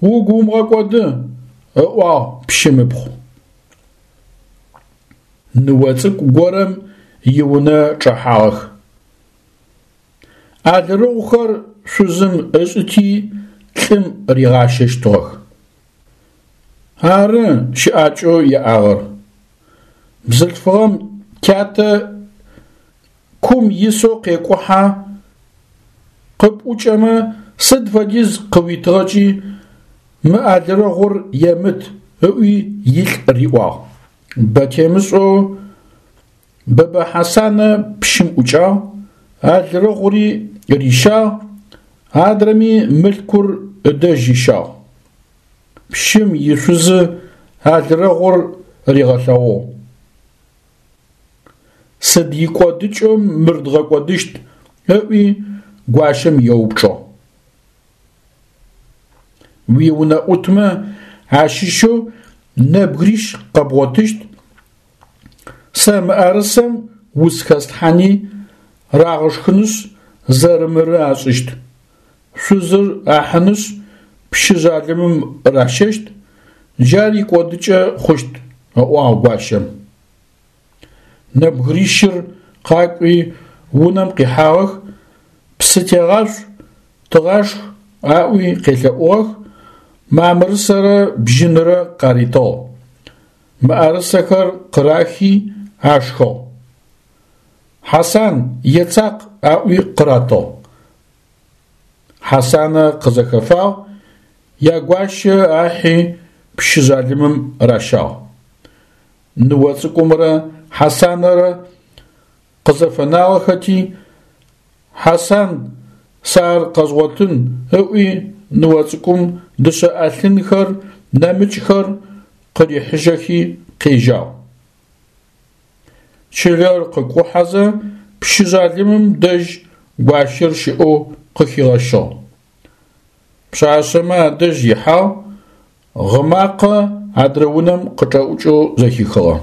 угу умыгъэкӏоды, – ыӏуагъ пщым ыпхъу. Ныо цӏыкӏу горэм иунэ чӏэхьагъэх. Алырэгъухэр шъузым ышӏыти лӏым ригъащэщтыгъэх. Ары щыӏакӏэу яӏагъэр. Бзылъфыгъэм тятэ кум исэу къекӏухьэ, къыпӏукӏэмэ сыд фэдиз къыуитыгъэкӏи мы алырэгъур емыт, ыӏуи илӏ риӏуагъ. Бэ темышӏэу Бэбэ Хьасанэ пщым ӏукӏагъ, алырэгъури рищагъ, адрэми мылъкур ыдэжь ыщагъ. Пщым ишъузы алырэгъур ригъэлъэгъугъ. Сыд икӏодыкӏэу мыр дгъэкӏодыщт? – ыӏуи гуащэм еупчӏыгъ. Уиунэӏутмэ ащыщэу нэбгырищ къэбгъотыщт, сэ мыӏэрысэм уц хэслъхьани рагъэшхынышъ зэрымыры ашӏыщт. Шъузыр ахьынышъ пщы жъалымым ращэщт, джар икӏодыкӏэ хъущт, – ыӏуагъ гуащэм. Нэбгырищыр къакӏуи унэм къихьагъэх, псы тегъашъу, тыгъашх аӏуи къелъэӏугъэх, мамрысэрэ бжьынрэ къаритыгъ. Мыӏэрысэхэр къырахи ашхыгъ. Хьасан, ецакъ аӏуи къыратыгъ. Хьасанэ къызэхэфагъ, ягуащэ ахьи пщы жъалымым ращагъ. Ныо цӏыкӏумрэ Хьасанэрэ къызэфэнагъэхэти, Хьасан сэ ар къэзгъотын ыӏуи ныо цӏыкӏум дышъэ ӏэлъынхэр, нэмыкӏхэр къырихьыжьэхи къежьагъ. Чылэр къыкӏухьэзэ пщы жъалымым дэжь гуащэр щыӏэу къыхигъэщыгъ. Пшъашъэмэ адэжь ихьагъ, гъы макъэ адрэ унэм къычӏэӏукӏэу зэхихыгъэ.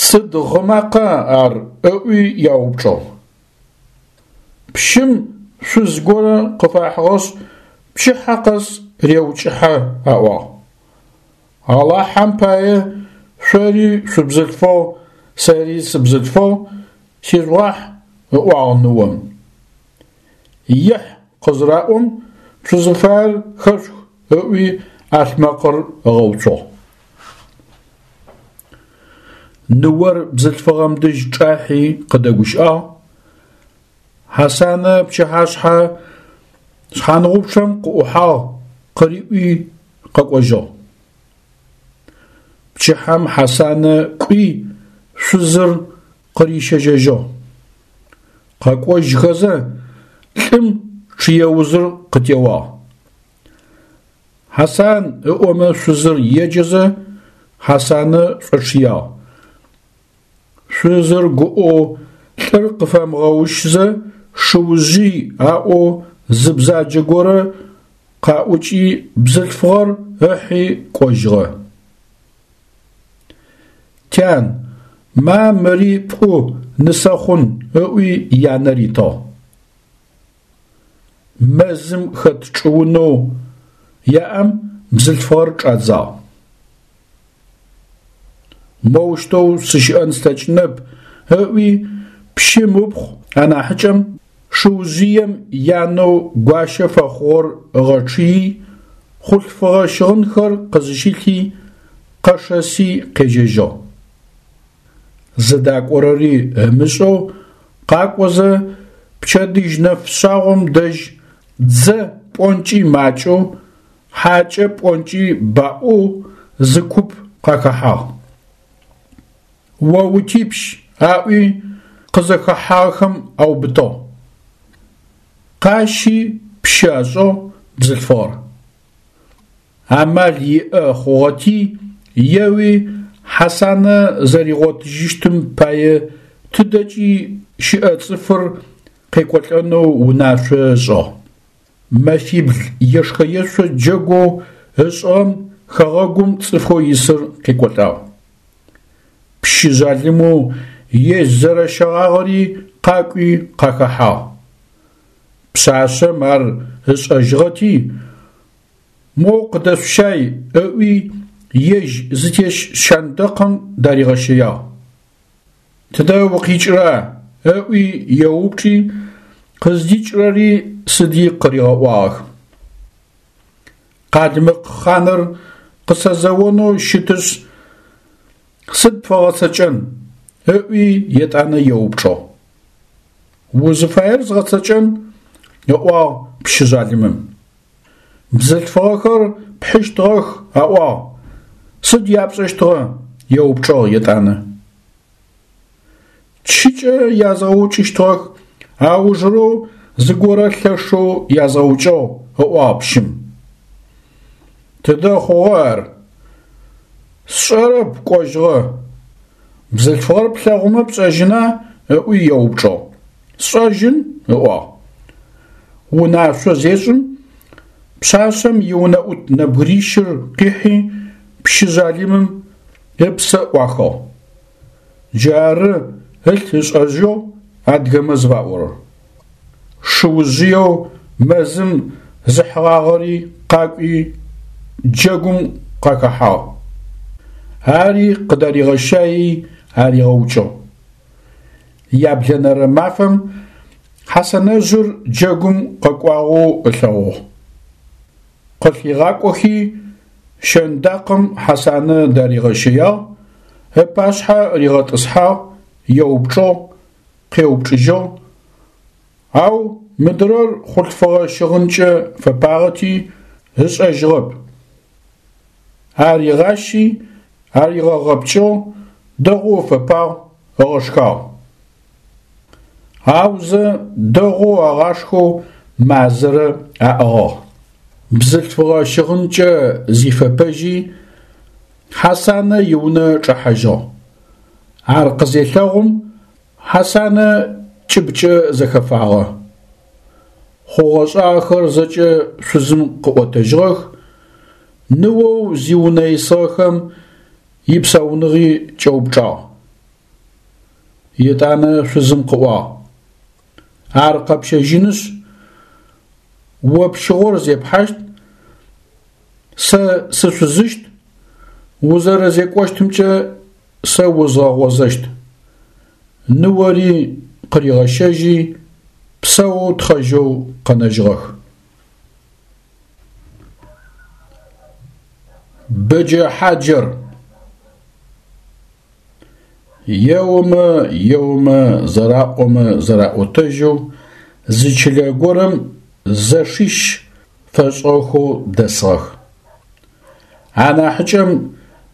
Сыд гъы макъа ар ыӏуи яупчӏыгъ. Пщым шъуз горэ къыфахьыгъэшъ пчыхьэ къэс реукӏыхьэ аӏуагъ. Алахьэм пае шъори шъубзылъфыгъ, сэри сыбзылъфыгъ, сижъугъахь, ыӏуагъ ныом. Ехь къызыраӏом, шъузыфаер хэшъух ыӏуи ӏалъмэкъыр ыгъэуцугъ. Ныор бзылъфыгъэм дэжь чӏахьи къыдэгущыӏагъ. Хьасанэ пчыхьашъхьэ шъхьангъупчъэм къыӏухьагъ къыриӏуи къэкӏожьыгъ. Пчыхьэм Хьасанэ кӏуи шъузыр къырищэжьэжьыгъ. Къэкӏожьхэзэ лӏым чъыеузыр къытеуагъ. Хьасан ыӏомэ шъузыр еджэзэ Хьасанэ шӏочъыягъ. Шъузыр гуӏэу лӏыр къыфэмыгъэущзэ шыужъый аӏоу зы бзаджэ горэ къаӏукӏи бзылъфыгъэр ыхьи кӏожьыгъэ. Тян, ма мыри пӏу нысэ хъун, ыӏуи янэ ритыгъ. Мэзым хэт чӏыунэу яӏэм бзылъфыгъэр чӏадзагъ. Моущтэу сыщыӏэн слъэкӏынэп, ыӏуи пщым ыпхъу анахьыкӏэм шыужъыем янэу гуащэ фэхъугъэр ыгъэчъыи, хъулъфыгъэ щыгъынхэр къызыщилъи, къэшэси къежьэжьыгъ. Зыдакӏорэри ымышӏэу къакӏозэ пчэдыжь нэфшъагъом дэжь дзэ пӏонкӏи макӏэу, хьакӏэ пӏонкӏи баӏоу зы куп къахэхьагъ. О утипщ, аӏуи къызэхэхьагъэхэм аубытыгъ. Къащи пщы ашӏыгъ бзылъфыгъэр. Амал иӏэ хъугъэти еуи Хьасанэ зэригъотыжьыщтым пае тыдэкӏи щыӏэ цӏыфыр къекӏолӏэнэу унашъо ышӏыгъ. Мэфибл ешхэ-ешъо джэгоу ышӏыгъэм хэгъэгум цӏыфэу исыр къекӏолӏагъ. Пщы жъалымэу ежь зэрэщэгъагъэри къакӏуи къахэхьагъ. Пшъашъэм ар ышӏэжьыгъэти, моу къыдэшъущай ыӏуи ежь зытес щэндэкъым даригъэщэягъ. Тыдэ укъикӏыра? Ыӏуи еупчӏи, къыздикӏырэри сыди къыригъэӏуагъэх. Къалмыкъ хъаныр къысэзэонэу щытышъ, сыд пфэгъэцэкӏэн? Ыӏуи етӏанэ еупчӏыгъ. Узыфаер згъэцэкӏэн, ыӏуагъ пщы жъалымым. Бзылъфыгъэхэр пхьыщтыгъэх аӏуагъ, сыд япшӏэщтыгъэ? Еупчӏыгъ етӏанэ. Чыкӏэ язгъэукӏыщтыгъэх, аужырэу зыгорэ лъэшэу язгъэукӏыгъ, ыӏуагъ пщым. Тыдэ хъугъэ ар? Сшӏэрэп, кӏожьыгъэ. Бзылъфыгъэр плъэгъумэ пшӏэжьына? Ыӏуи еупчӏыгъ. Сшӏэжьын, ыӏуагъ. Унашъо зешӏым, пшъашъэм иунэӏут нэбгырищыр къихьи пщы жъалымым ыпсэ ӏуахыгъ. Джары ылъ ышӏэжьыгъ адыгэмэ зыфаӏорэр. Шыужъыеу мэзым зыхьыгъагъэри къакӏуи джэгум къахэхьагъ. Ари къыдаригъэщаий аригъэукӏыгъ. Яблэнэрэ мафэм Хьасанэжъыр джэгум къэкӏуагъэу ылъэгъугъ. Къылъигъакӏохи щэндакъым Хьасанэ даригъэщэягъ, ыпашъхьэ ригъэтӏысхьагъ, еупчӏыгъ, къеупчӏыжьыгъ, ау мыдырэр хъулъфыгъэ щыгъынкӏэ фэпагъэти ышӏэжьыгъэп. Аригъащи, аригъэгъэпкӏыгъ, дэгъоу ыфэпагъ, ыгъэшхагъ. Аузэ дэгъоу агъашхэу мазэрэ аӏыгъыгъ. Бзылъфыгъэ щыгъынкӏэ зифэпэжьи, Хьасанэ иунэ чӏэхьажьыгъ. Ар къызелъэгъум, Хьасанэ кӏыбкӏэ зэхэфагъэ. Хъугъэ-шӏагъэхэр зэкӏэ шъузым къыӏотэжьыгъэх, ныоу зиунэ исыгъэхэм ипсауныгъи кӏэупчӏагъ. Етӏанэ шъузым къыӏуагъ: Ар къэпщэжьынышъ, о пщыгъор зепхьащт, сэ сышъузыщт, узэрэзекӏощтымкӏэ сэ узгъэгъозэщт. Ныори къыригъэщэжьи, псэу тхъэжьэу къэнэжьыгъэх. Бэджэ хьаджэр. Еомэ, еомэ, зэраӏомэ зэраӏотэжьэу зы чылэ горэм зэшищ фэшӏыгъэхэу дэсыгъэх. Анахьыкӏэм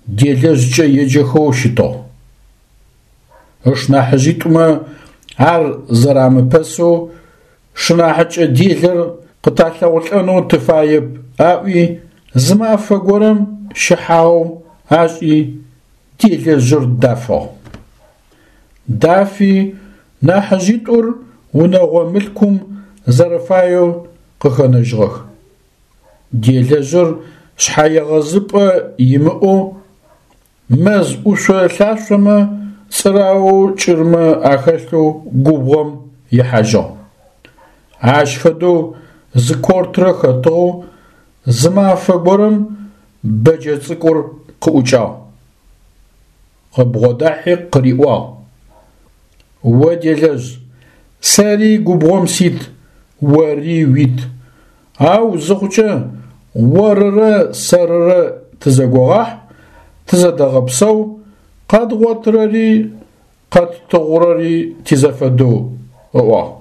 делэжъкӏэ еджэхэу щытыгъ. Ышнахьыжъитӏумэ ар зэрамыпэсэу шынахьыкӏэ делэр къыталъэгъулӏэнэу тыфаеп аӏуи зы мафэ горэм щыхьагъэу ашӏи делэжъыр дафыгъ. Дафи нахьыжъитӏур унэгъо мылъкум зэрэфаеу къыхэнэжьыгъэх. Делэжъыр шъхьэегъэзыпӏэ имыӏэу мэз ӏушъо лъашъомэ цӏыраоу кӏырмэ ахэлъэу губгъом ихьажьыгъ. Ащ фэдэу зы кортрэ хэтыгъэу зы мафэ горэм бэджэ цӏыкӏур къыӏукӏагъ. Къыбгъодахьи къыриӏуагъ: О делэжъ, сэри губгъом сит, ори уит, ау зыхъукӏэ орырэ сэрырэ тызэгогъахь, тызэдэгъэпсэу, къэдгъотырэри къэттыгъурэри тизэфэдэу, ыӏуагъ.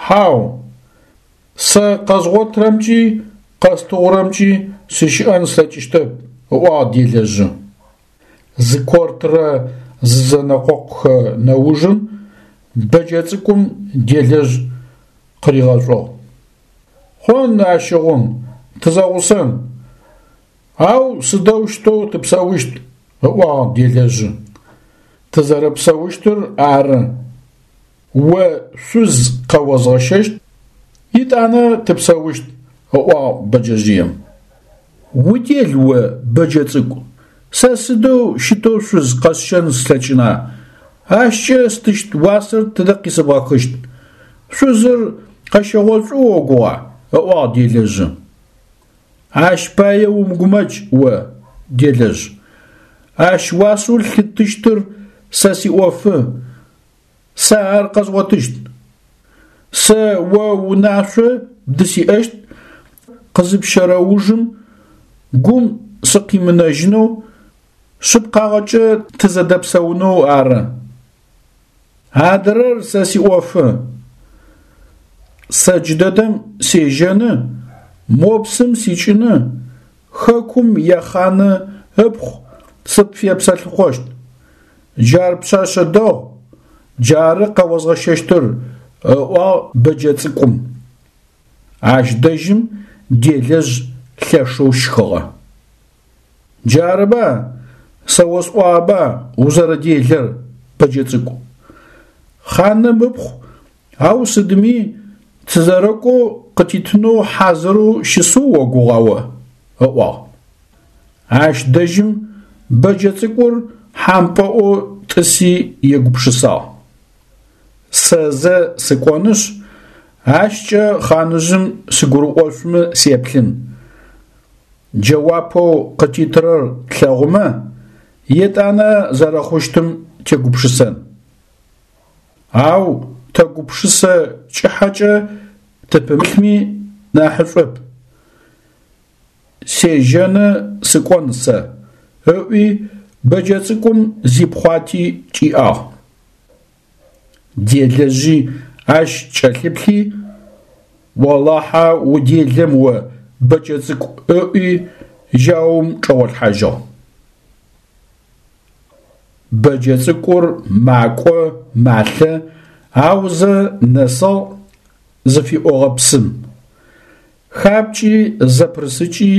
Хьау, сэ къэзгъотырэмкӏи къэстыгъурэмкӏи сыщыӏэн слъэкӏыщтэп, ыӏуагъ делэжъы. Зы кортрэ зызэнэкъокъухэ нэужым бэджэ цӏыкӏум делэжъ къыригъэшӏугъ. Хъун ащыгъум, тызэгъусэн, ау сыдэущтэу тыпсэущт, ыӏуагъ делэжъы. Тызэрэпсэущтыр ары, о шъуз къэозгъэщэщт, етӏанэ тыпсэущт, ыӏуагъ бэджэжъыем. Удел о, бэджэ цӏыкӏу, сэ сыдэу щытэу шъуз къэсщэн слъэкӏына? Ащкӏэ стыщт уасэр тыдэ къисэбгъэхыщт? Шъузыр къэщэгъошӏу огугъа? – ыӏуагъ делэжъы. Ащ пае умыгумэкӏ о, делэжъ. Ащ уасэу лъыттыщтыр сэ сиӏофы, сэ ар къэзгъотыщт. Сэ о унашъо бдысиӏэщт, къызыпщэрэ ужым гум сыкъимынэжьынэу, шъыпкъагъэкӏэ тызэдэпсэунэу ары. Адырэр сэ сиӏофы. Сэ джыдэдэм сежьэны, мо псым сикӏыны, хэкум яхъаны ыпхъу сыпфепсэлъыхъощт. Джар пшъэшъэ дэгъу, джары къэозгъэщэщтыр, ыӏуагъ бэджэ цӏыкӏум. Ащ дэжьым делэжъ лъэшэу щхыгъэ. Джарыба, сэ осӏуагъэба узэрэделэр, бэджэ цӏыкӏу. Хъаным ыпхъу ау сыдми тызэрэкӏоу къытитынэу хьазырэу щысэу огугъа о? Ыӏуагъ. Ащ дэжьым бэджэ цӏыкӏур хьампӏэӏоу тӏыси егупшысагъ. Сэ зэ сыкӏонышъ, ащкӏэ хъаныжъым сыгурыӏошъумэ сеплъын. Джэуапэу къытитырэр тлъэгъумэ, етӏанэ зэрэхъущтым тегупшысэн. Ау тэ гупшысэ кӏыхьэкӏэ тыпымылъми нахьышӏоп. Сежьэны сыкӏон сэ, ыӏуи бэджэ цӏыкӏум зипхъуати кӏиӏагъ. Делэжъи ащ кӏэлъыплъи, олахьэ уделэм о, бэджэ цӏыкӏу, ыӏуи жьаум чӏэгъолъхьажьыгъ. Бэджэ цӏыкӏур макӏо, малъэ, аузэ нэсыгъ зыфиӏогъэ псым. Хапкӏи зэпырысыкӏи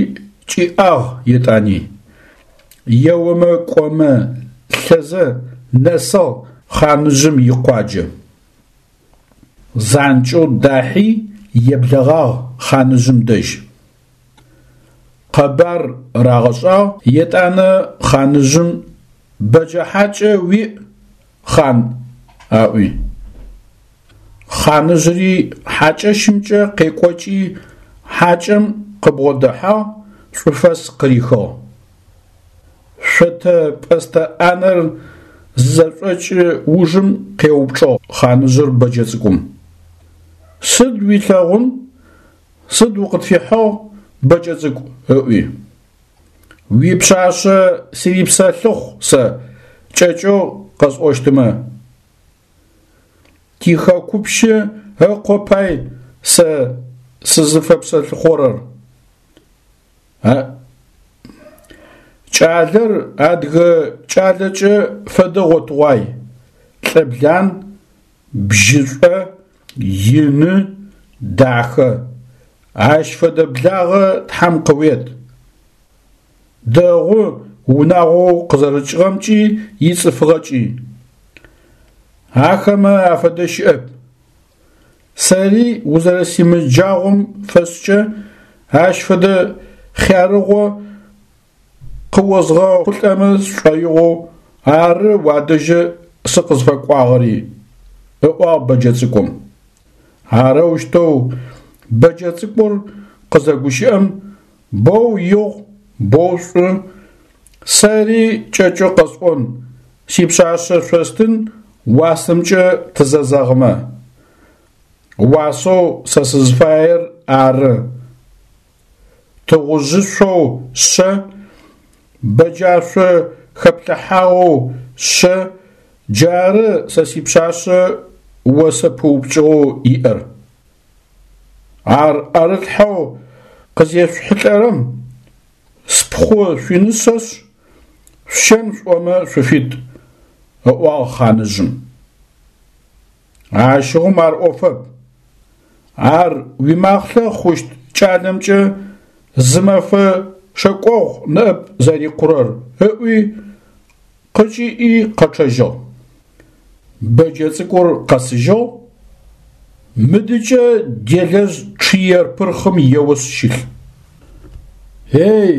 кӏиӏагъ етӏани. Еомэ кӏомэ лъэзэ нэсыгъ хъаныжъым икъуаджэ. Занкӏэу дахьи еблэгъагъ хъаныжъым дэжь. Къэбар рагъэшӏагъ, етӏанэ хъаныжъым бэджэ хьакӏэ уиӏ, хъан, аӏуи. Хъаныжъыри хьакӏэщымкӏэ къекӏокӏи хьакӏэм къыбгъодэхьагъ, шӏуфэс къырихыгъ. Шъотэ пӏэстэ ӏанэр зызэшӏокӏы ужым къеупчӏыгъ хъаныжъыр бэджэ цӏыкӏум. Сыд уилъэгъун, сыд укъытфихьыгъ, бэджэ цӏыкӏу, ыӏуи. Уипшъашъэ сырипсэлъыхъу сэ, кӏэкӏэу къэсӏощтымэ. Тихэкупщы ыкъо пай сэ сызыфэпсэлъыхъорэр. Кӏалэр адыгэ кӏалэкӏэ фэдэ гъотыгъуай, лӏыблан, бжьышӏо, ины, дахэ. Ащ фэдэ благъэ Тхьэм къыует. Дэгъу унагъоу къызэрыкӏыгъэмкӏи ицӏыфыгъэкӏи. Ахэмэ афэдэ щыӏэп. Сэри узэрэсимыджагъом фэшӏкӏэ ащ фэдэ хъярыгъо къыозгъэхъулӏэмэ сшӏоигъоу ары уадэжьы сыкъызфэкӏуагъэри, ыӏуагъ бэджэ цӏыкӏум. Арэущтэу бэджэ цӏыкӏур къызэгущыӏэм, боу игъу, боу шӏу, сэри кӏэкӏэу къэсӏон, сипшъашъэ шъостын уасэмкӏэ тызэзэгъымэ. Уасэу сэ сызфаер ары. Тыгъужъышъоу шъэ, бэджашъо хэплъыхьагъэу шъэ, джары сэ сипшъашъэ осэ пыупкӏыгъэу иӏэр. Ар ӏэрылъхьэу къызешъухьылӏэрэм спхъу шъуинысэшъ, шъущэн шъуӏомэ шъуфит, ыӏуагъ хъаныжъым. Ащыгъум ар ӏофэп. Ар уимахълъэ хъущт кӏалэмкӏэ зы мэфэ шэкӏогъу ныӏэп зэрикъурэр, ыӏуи къыкӏиӏи къэчъэжьыгъ. Бэджэ цӏыкӏур къэсыжьыгъ, мыдыкӏэ делэжъ чъыер пырхъым еошъ щылъ. Эй,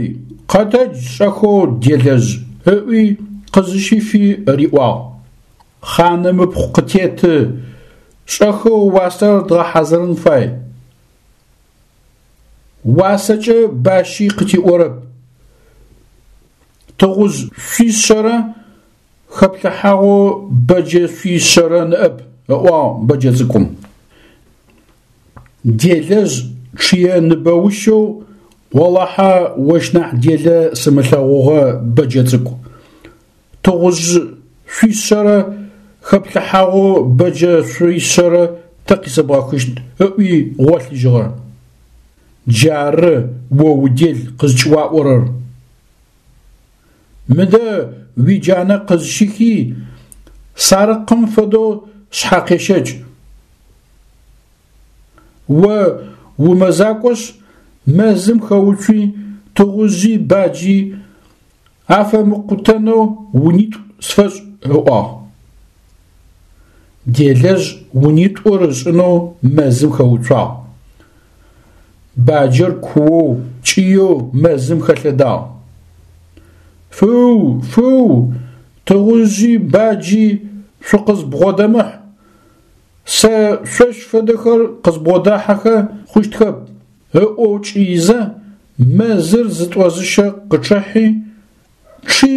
къэтэдж шӏэхэу, делэжъ, ыӏуи къызыщифи риӏуагъ. Хъаным ыпхъу къытеты, шӏэхэу уасэр дгъэхьазырын фай. Уасэкӏэ бащи къытиӏорэп. Тыгъужъ шъуишъэрэ хэплъыхьагъэу бэджэ шъуишъэрэ ныӏэп, ыӏуагъ бэджэ цӏыкӏум. Делэжъ чъые ныбэущэу олахьэ ощ нахь делэ сымылъэгъугъэ бэджэ цӏыкӏу. Тыгъужъ шъуишъэрэ хэплъыхьагъэу бэджэ шъуишъэрэ тэ къисэбгъэхыщт, ыӏуи гъолъыжьыгъэ. Джары о удел къызкӏыуаӏорэр. Мыдэ уиджанэ къызщыхи, сарыкъым фэдэу шъхьэкъещэкӏ. О умэзакӏошъ, мэзым хэуцуи, тыгъужъи баджи афэмыкъутэнэу унитӏу сфэшӏ, ыӏуагъ. Делэжъ унитӏур ышӏынэу мэзым хэуцуагъ. Баджэр куоу, кӏыеу мэзым хэлъэдагъ. Фыу, фыу, тыгъужъи баджи шъукъызбгъодэмыхь, сэ шъощ фэдэхэр къызбгъодахьэхэ хъущтхэп, ыӏоу кӏыизэ, мэзыр зытӏозыщэ къычъыхьи, чъи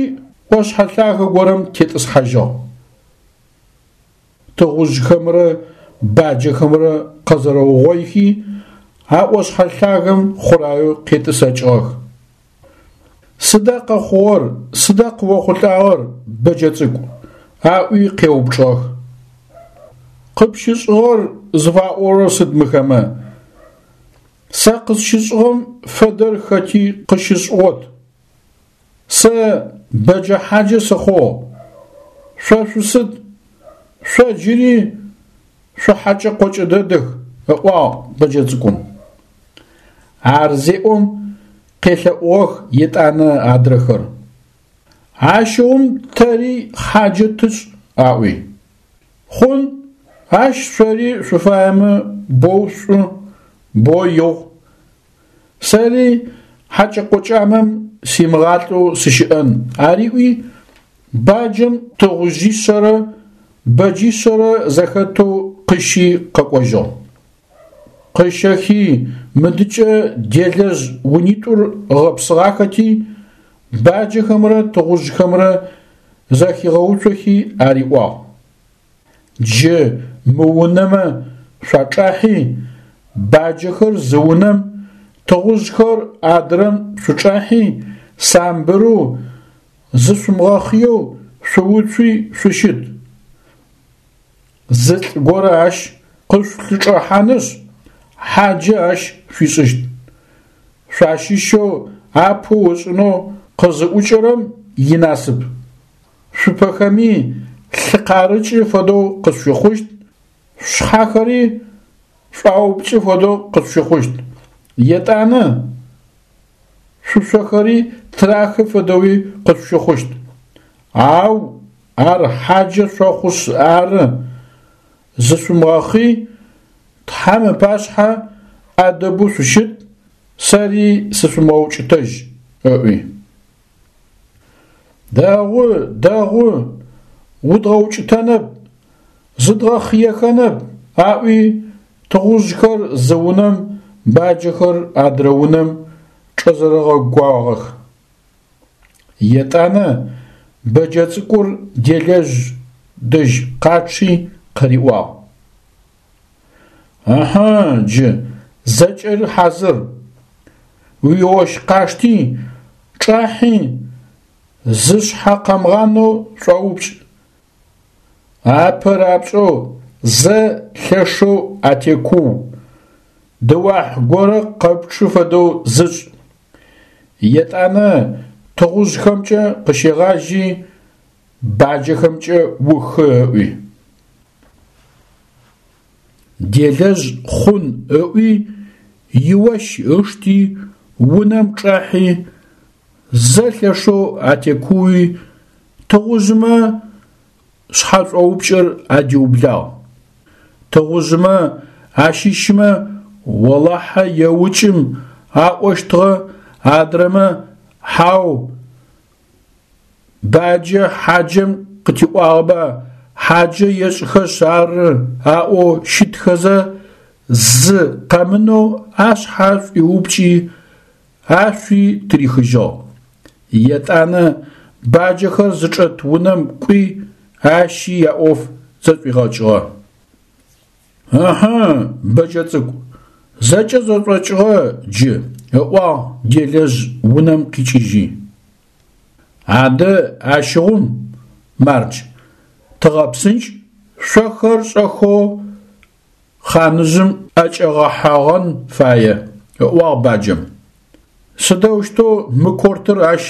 ӏошъхьэ лъагэ горэм тетӏысхьажьыгъ. Тыгъужъхэмрэ баджэхэмрэ къэзэрэугъоихи, а ӏошъхьэ лъагэм хъураеу къетӏысэкӏыгъэх. Сыда къэхъугъэр, сыда къыохъулӏагъэр, бэджэ цӏыкӏу? Аӏуи къеупчӏыгъэх. Къыпщышӏыгъэр зыфаӏорэр сыд мыхэмэ? Сэ къысщышӏыгъэм фэдэр хэти къыщышӏыгъот. Сэ бэджэ хьаджэ сыхъугъ. Шъо шъусыд? Шъо джыри шъухьэкӏэ-къокӏэ дэдэх, ыӏуагъ бэджэ цӏыкӏум. Ар зеӏом къелъэӏугъэх етӏанэ адрэхэр. Ащыгъум тэри хьаджэ тышӏ, аӏуи. Хъун, ащ шъори шъуфаемэ боу шӏу, боу игъу. Сэри хьэкӏэ-къокӏамэм симыгъалӏэу сыщыӏэн, ариӏуи, баджэм тыгъужъишъэрэ бэджишъэрэ зэхэтэу къыщи къэкӏожьыгъ. Къыщэхи мыдыкӏэ делэжъ унитӏур ыгъэпсыгъахэти, баджэхэмрэ тыгъужъхэмрэ зэхигъэуцохи ариӏуагъ: Джы мы унэмэ шъуачӏахьи, баджэхэр зы унэм, тыгъужъхэр адрэм шъучӏахьи, самбырэу, зышъумыгъэхъыеу шъууцуи шъущыт. Зы лӏы горэ ащ къышъулъычӏэхьанышъ, хьаджэ ащ шъуишӏыщт. Шъуащыщэу апэу ышӏынэу къызыӏукӏэрэм инасып. Шъупэхэми лъы къарыкӏы фэдэу къышъущыхъущт, шъушъхьэхэри шӏуаупкӏы фэдэу къышъущыхъущт. Етӏанэ шъушъохэри тырахы фэдэуи къышъущыхъущт. Ау ар хьаджэ шъохъушъ ары, зышъумыгъэхъый, Тхьэм ыпашъхьэ ӏэдэбэу шъущыт, сэри сышъумыгъэукӏытэжь, ыӏуи. Дэгъу, дэгъу, удгъэукӏытэнэп, зыдгъэхъыехэнэп, аӏуи тыгъужъхэр зы унэм, баджэхэр адрэ унэм чӏэзэрэгъэгуагъэх. Етӏанэ бэджэ цӏыкӏур делэжъ дэжь къачъи къыриӏуагъ: Ыхьы, джы зэкӏэри хьазыр. Уиощ къашти, чӏахьи, зы шъхьэ къэмыгъанэу шӏоупкӏ. Апэ рапшӏэу зэ лъэшэу атекуу, дыуахь горэ къэпчъы фэдэу зышӏ. Етӏанэ тыгъужъхэмкӏэ къыщегъажьи, баджэхэмкӏэ ухы, ыӏуи. Делэжъ хъун ыӏуи, иощ ышти, унэм чӏахьи, зэ лъэшэу атекууи, тыгъужъмэ шъхьэшӏоупкӏэр адиублагъ. Тыгъужъмэ ащыщмэ олахьэ еукӏым аӏощтыгъэ, адрэмэ хьау, баджэ хьаджэм къытиӏуагъэба Хьаджэ ешӏхэшъ ары аӏоу щытхэзэ, зы къэмынэу ашъхьэ шӏуиупкӏи, ашъуи тырихыжьыгъ. Етӏанэ баджэхэр зычӏэт унэм кӏуи, ащи яӏоф зэшӏуигъэкӏыгъэ. Ыхьы, бэджэ цӏыкӏу, зэкӏэ зэшӏокӏыгъэ джы, ыӏуагъ делэжъ унэм къикӏыжьи. Адэ ащыгъум, мардж, тыгъэпсынкӏ, шъохэр шӏэхэу хъаныжъым ӏэкӏэгъэхьэгъэн фае, ыӏуагъ баджэм. Сыдэущтэу мы кортыр ащ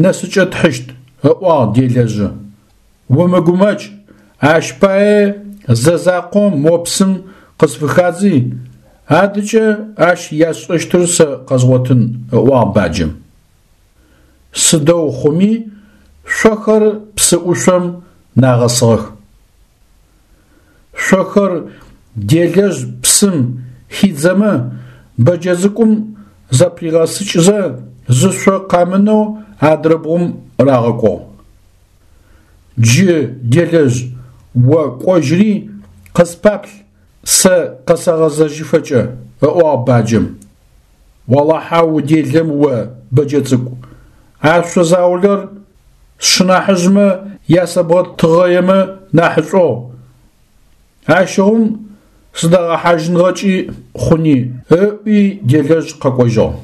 нэсыкӏэ тхьыщт, ыӏуагъ делэжъы. Умыгумэкӏ, ащ пае зэ закъо мо псым къысфыхадзи, адыкӏэ ащ ясшӏэщтыр сэ къэзгъотын, ыӏуагъ баджэм. Сыдэу хъуми шъохэр псы ӏушъом нагъэсыгъэх. Шъохэр делэжъ псым хидзэмэ, бэджэ цӏыкӏум зэпыригъэсыкӏызэ зы шъо къэмынэу адрэ бгъум рагъэкӏугъ. Джы, делэжъ, о кӏожьри къыспаплъ сэ къэсэгъэзэжьыфэкӏэ, ыӏуагъ баджэм. Олахьэ уделэм о, бэджэ цӏыкӏу, а шъо заулэр сшынахьыжъмэ ясэбгъэтыгъэемэ нахьышӏугъ. Ащыгъум сыдагъэхьажьыгъэнкӏи хъуни, ыӏуи делэжъ къэкӏожьыгъ.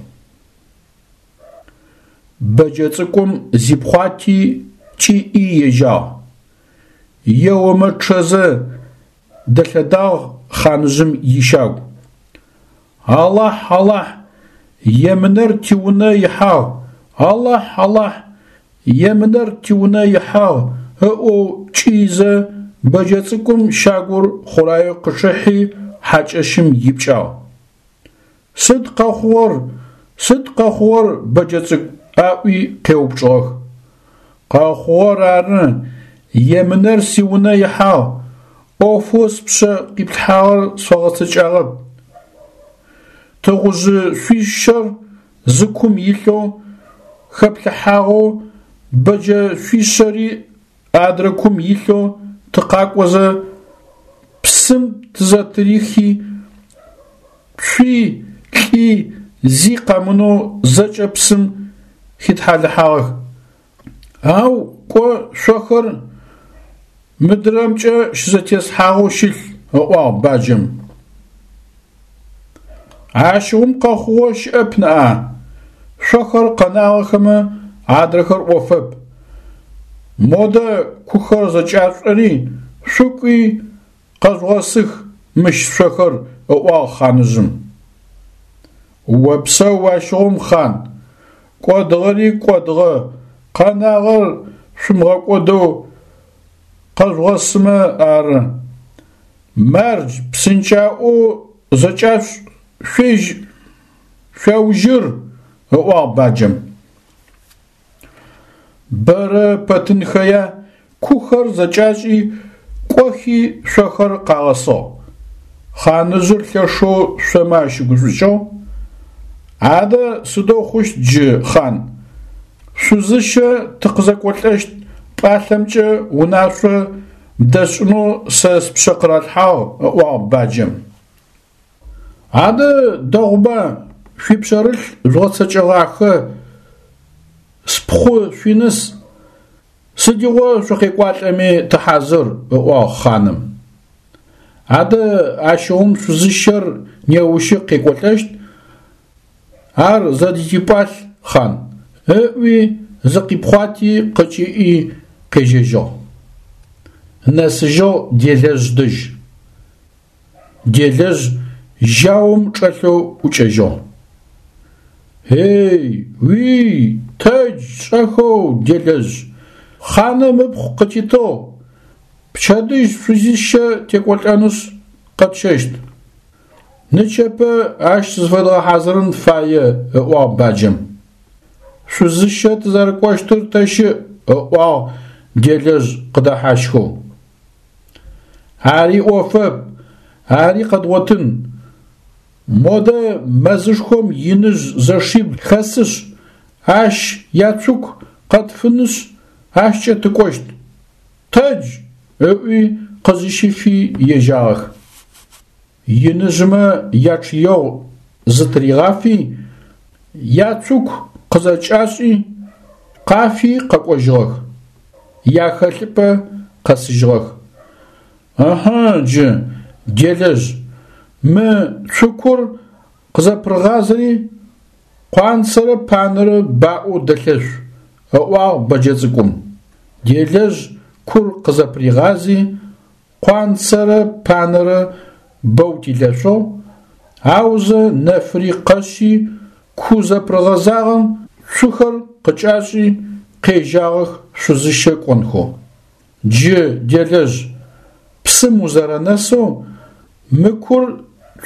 Бэджэ цӏыкӏум зипхъуати кӏиӏи ежьагъ. Еомэ чъэзэ дэлъэдагъ хъаныжъым ищагу. Алахь, Алахь, емынэр тиунэ ихьагъ, Алахь, Алахь, емынэр тиунэ ихьагъ, ыӏоу кӏыизэ бэджэ цӏыкӏум щагур хъураеу къычъыхьи хьакӏэщым ипкӏагъ. Сыд къэхъугъэр, сыд къэхъугъэр, бэджэ цӏыкӏу, аӏуи къеупчӏыгъэх. Къэхъугъэр ары, емынэр сиунэ ихьагъ, ӏофэу спшъэ къиплъхьагъэр сфэгъэцэкӏагъэп. Тыгъужъы шъуищэр зы кум илъэу хэплъыхьагъэу, бэджэ шъуищэри адрэ кум илъэу тыкъакӏозэ, псым тызэтырихи, цуи лӏи зи къэмынэу зэкӏэ псым хитхьалыхьагъэх. Ау кӏо шъохэр мыдрэмкӏэ щызэтесхьагъэу щылъ, ыӏуагъ баджэм. Ащыгъум къэхъугъэ щыӏэп ныӏа, шъохэр къэнагъэхэмэ адрэхэр ӏофэп. Модэ кухэр зэкӏашъушӏэри, шъукӏуи къэжъугъэсых мыщ шъохэр, ыӏуагъ хъаныжъым. Опсэу ащыгъум, хъан, кӏодыгъэри кӏодыгъэ, къэнагъэр шъумыгъэкӏодэу къэжъугъэсымэ ары. Мардж, псынкӏаӏоу зэкӏашъушӏ, шъуежь, шъуаужьыр, ыӏуагъ баджэм. Бэрэ пэтынхэя кухэр зэкӏашӏи, кӏохи шъохэр къагъэсыгъ. Хъаныжъыр лъэшэу шъомэ ащыгушӏукӏыгъ. Адэ сыдэу хъущт джы, хъан? Шъузыщэ тыкъызэкӏолӏэщт пӏалъэмкӏэ унашъо бдэсшӏынэу сэ спшъэ къыралъхьагъ, ыӏуагъ баджэм. Адэ дэгъуба, шъуипшъэрылъ жъугъэцэкӏэгъахэ, спхъу шъуиныс, сыдигъо шъукъекӏуалӏэми тыхьазыр, ыӏуагъ хъаным. Адэ ащыгъум шъузыщэр неущы къекӏолӏэщт, ар зэдытипӏалъ, хъан, ыӏуи зыкъипхъуати къыкӏиӏи къежьэжьыгъ. Нэсыжьыгъ делэжъ дэжь. Делэжъ жьаум чӏэлъэу ӏукӏэжьыгъ. Ей, уий, тэдж шӏэхэу, делэжъ, хъаным ыпхъу къытитыгъ, пчэдыжь шъузищэ текӏолӏэнышъ къэтщэщт. Нычэпэ ащ зыфэдгъэхьазырын фае, ыӏуагъ баджэм. Шъузыщэ тызэрэкӏощтыр тэ щыӏ, ыӏуагъ делэжъ къыдэхьащхэу. Ари ӏофэп, ари къэдгъотын. Модэ мэзышхом иныжъ зэшибл хэсышъ, ащ яцуку къэтфынышъ, ащкӏэ тыкӏощт. Тэдж, ыӏуи къызыщифи ежьагъэх. Иныжъмэ ячъыегъу зытыригъафи, яцуку къызэкӏашӏи, къафи къэкӏожьыгъэх, яхэлъыпӏэ къэсыжьыгъэх. Ыхьы джы, делэжъ, мы цукур къызэпырыгъазэри къуанцэрэ панэрэ баӏоу дэлъэшъу, ыӏуагъ бэджэ цӏыкӏум. Делэжъ кур къызэпыригъази, къуанцэрэ панэрэ бэу дилъэшъугъ, аузэ нэфыри къэшъи, ку зэпырыгъэзагъэм цухэр къыкӏашӏи, къежьагъэх шъузыщэ кӏонхэу. Джы, делэжъ, псым узэрэнэсэу, мы кур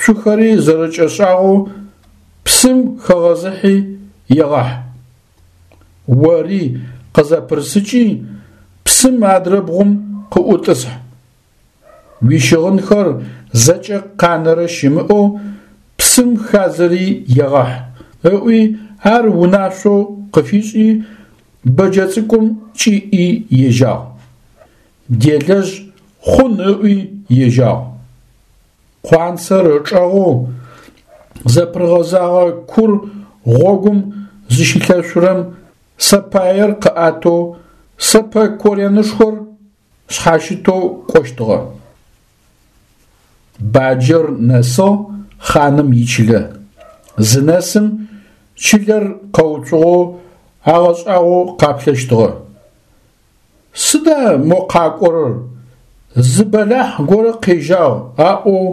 цухэри зэрэкӏэшӏагъэу псым хэгъэзыхьи егъахь. Ори къызэпырысыкӏи, псым адрэ бгъум къыӏутӏысхь. Уищыгъынхэр зэкӏэ къанэрэ щымыӏэу псым хадзэри егъахь, ыӏуи ар унашъоу къыфишӏи, бэджэ цӏыкӏум кӏиӏи ежьагъ. Делэжъ хъун ыӏуи ежьагъ. Къуанцэр ычӏэгъэу зэпырыгъэзагъэ кур гъогум зыщилъэшъурэм сэпаер къыӏэтэу сэпэ коренышхор шъхьащытэу кӏощтыгъэ. Баджэр нэсыгъ хъаным ичылэ. Зынэсым чылэр къэуцугъэу агъэшӏагъоу къаплъэщтыгъэ. Сыда мо къакӏорэр, зы бэлахь горэ къежьагъ аӏоу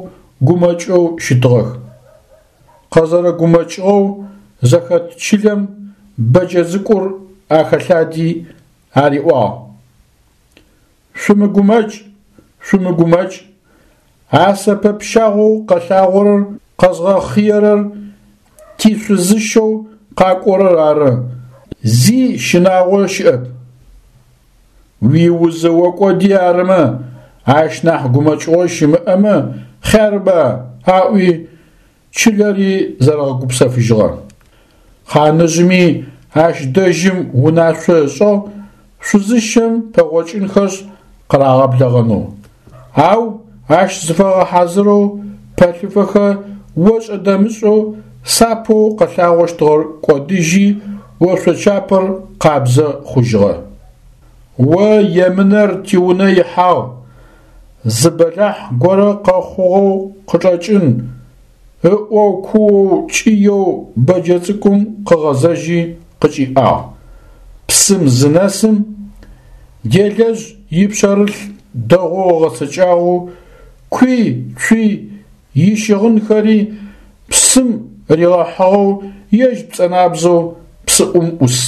гумэкӏэу щытыгъэх. Къэзэрэгумэкӏыгъэу зэхэт чылэм бэджэ цӏыкӏур ахэлъади ариӏуагъ: Шъумыгумэкӏ, шъумыгумэкӏ, а сэпэ пщагъоу къэлъагъорэр къэзгъэхъыерэр тишъузыщэу къакӏорэр ары, зи щынагъо щыӏэп. Уиузы окӏоди арымэ, ащ нахь гумэкӏыгъо щымыӏэмэ хъярба, аӏуи чылэри зэрэгъэгупсэфыжьыгъэ. Хъаныжъыми ащ дэжьым унашъо ышӏыгъ шъузыщэм пэгъокӏынхэшъ къырагъэблэгъэнэу. Ау ащ зыфагъэхьазырэу пэлъыфэхэ ошӏэ-дэмышӏэу сапэу къэлъагъощтыгъэр кӏодыжьи ошъочапэр къабзэ хъужьыгъэ. О емынэр тиунэ ихьагъ, зы бэлахь горэ къэхъугъэу къычӏэкӏын, ыӏоу куоу кӏыеу бэджэ цӏыкӏум къыгъэзэжьи къыкӏиӏагъ. Псым зынэсым, делэжъ ипшъэрылъ дэгъоу ыгъэцэкӏагъэу куи цуи ищыгъынхэри псым ригъэхьыгъэу ежь пцӏэнабзэу псыӏум ӏус.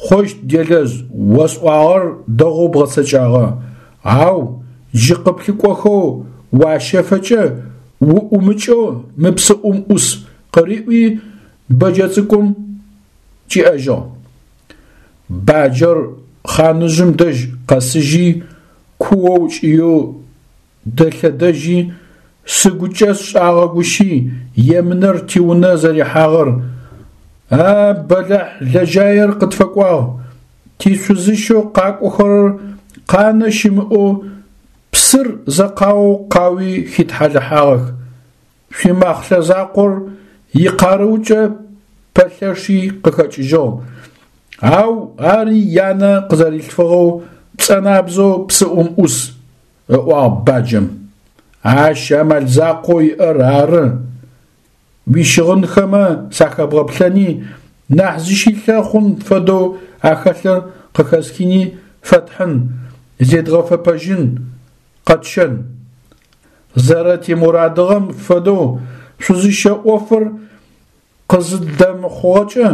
Хъущт, делэжъ, осӏуагъэр дэгъоу бгъэцэкӏагъэ, ау джы къыплъыкӏохэу уащэфэкӏэ уӏумыкӏэу мы псыӏум ӏус, къыриӏуи бэджэ цӏыкӏум кӏиӏэжьыгъ. Баджэр хъаныжъым дэжь къэсыжьи, куоу кӏыеу дэлъэдэжьи, сыгукӏэ сшӏагъэгущи емынэр тиунэ зэрихьагъэр, а бэлахь лэжьаер къытфэкӏуагъ, тишъузыщэу къакӏохэрэр къанэ щымыӏэу псыр зэкъаоу къауи хитхьалыхьагъэх, шъуимахълъэ закъор икъарыукӏэ пэлъэши къыхэкӏыжьыгъ, ау ари янэ къызэрилъфыгъэу пцӏэнабзэу псыӏум ӏус, ыӏуагъ баджэм. Ащ амал закъоу иӏэр ары, уищыгъынхэмэ сахэбгъэплъэни, нахь зыщилъэ хъун фэдэу ахэлъыр къыхэсхыни фэтхьын, зедгъэфэпэжьын, къэтщэн. Зэрэтимурадыгъэм фэдэу шъузыщэ ӏофыр къызыддэмыхъугъэкӏэ,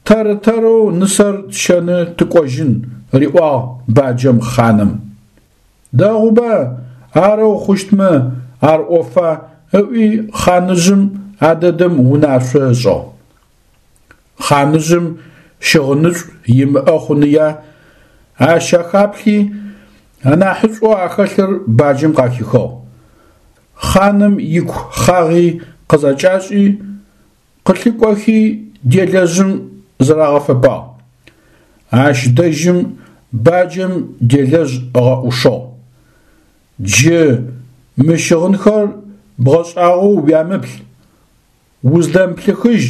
тэр-тэрэу нысэр тщэны тыкӏожьын, риӏуагъ баджэм хъаным. Дэгъуба, арэу хъущтмэ, ар ӏофа, ыӏуи хъаныжъым а дэдэм унашъо ышӏыгъ. Хъаныжъым щыгъынышӏу имыӏэ хъуныя, ащ ахаплъи, анахьышӏоу ахэлъыр баджэм къахихыгъ. Хъаным ику хъагъи къызэкӏашӏи, къылъыкӏохи делэжъым зырагъэфэпагъ. Ащ дэжьым баджэм делэжъ ыгъэӏушыгъ. Джы мы щыгъынхэр бгъэшӏагъоу уямыплъ, уздэмыплъыхыжь,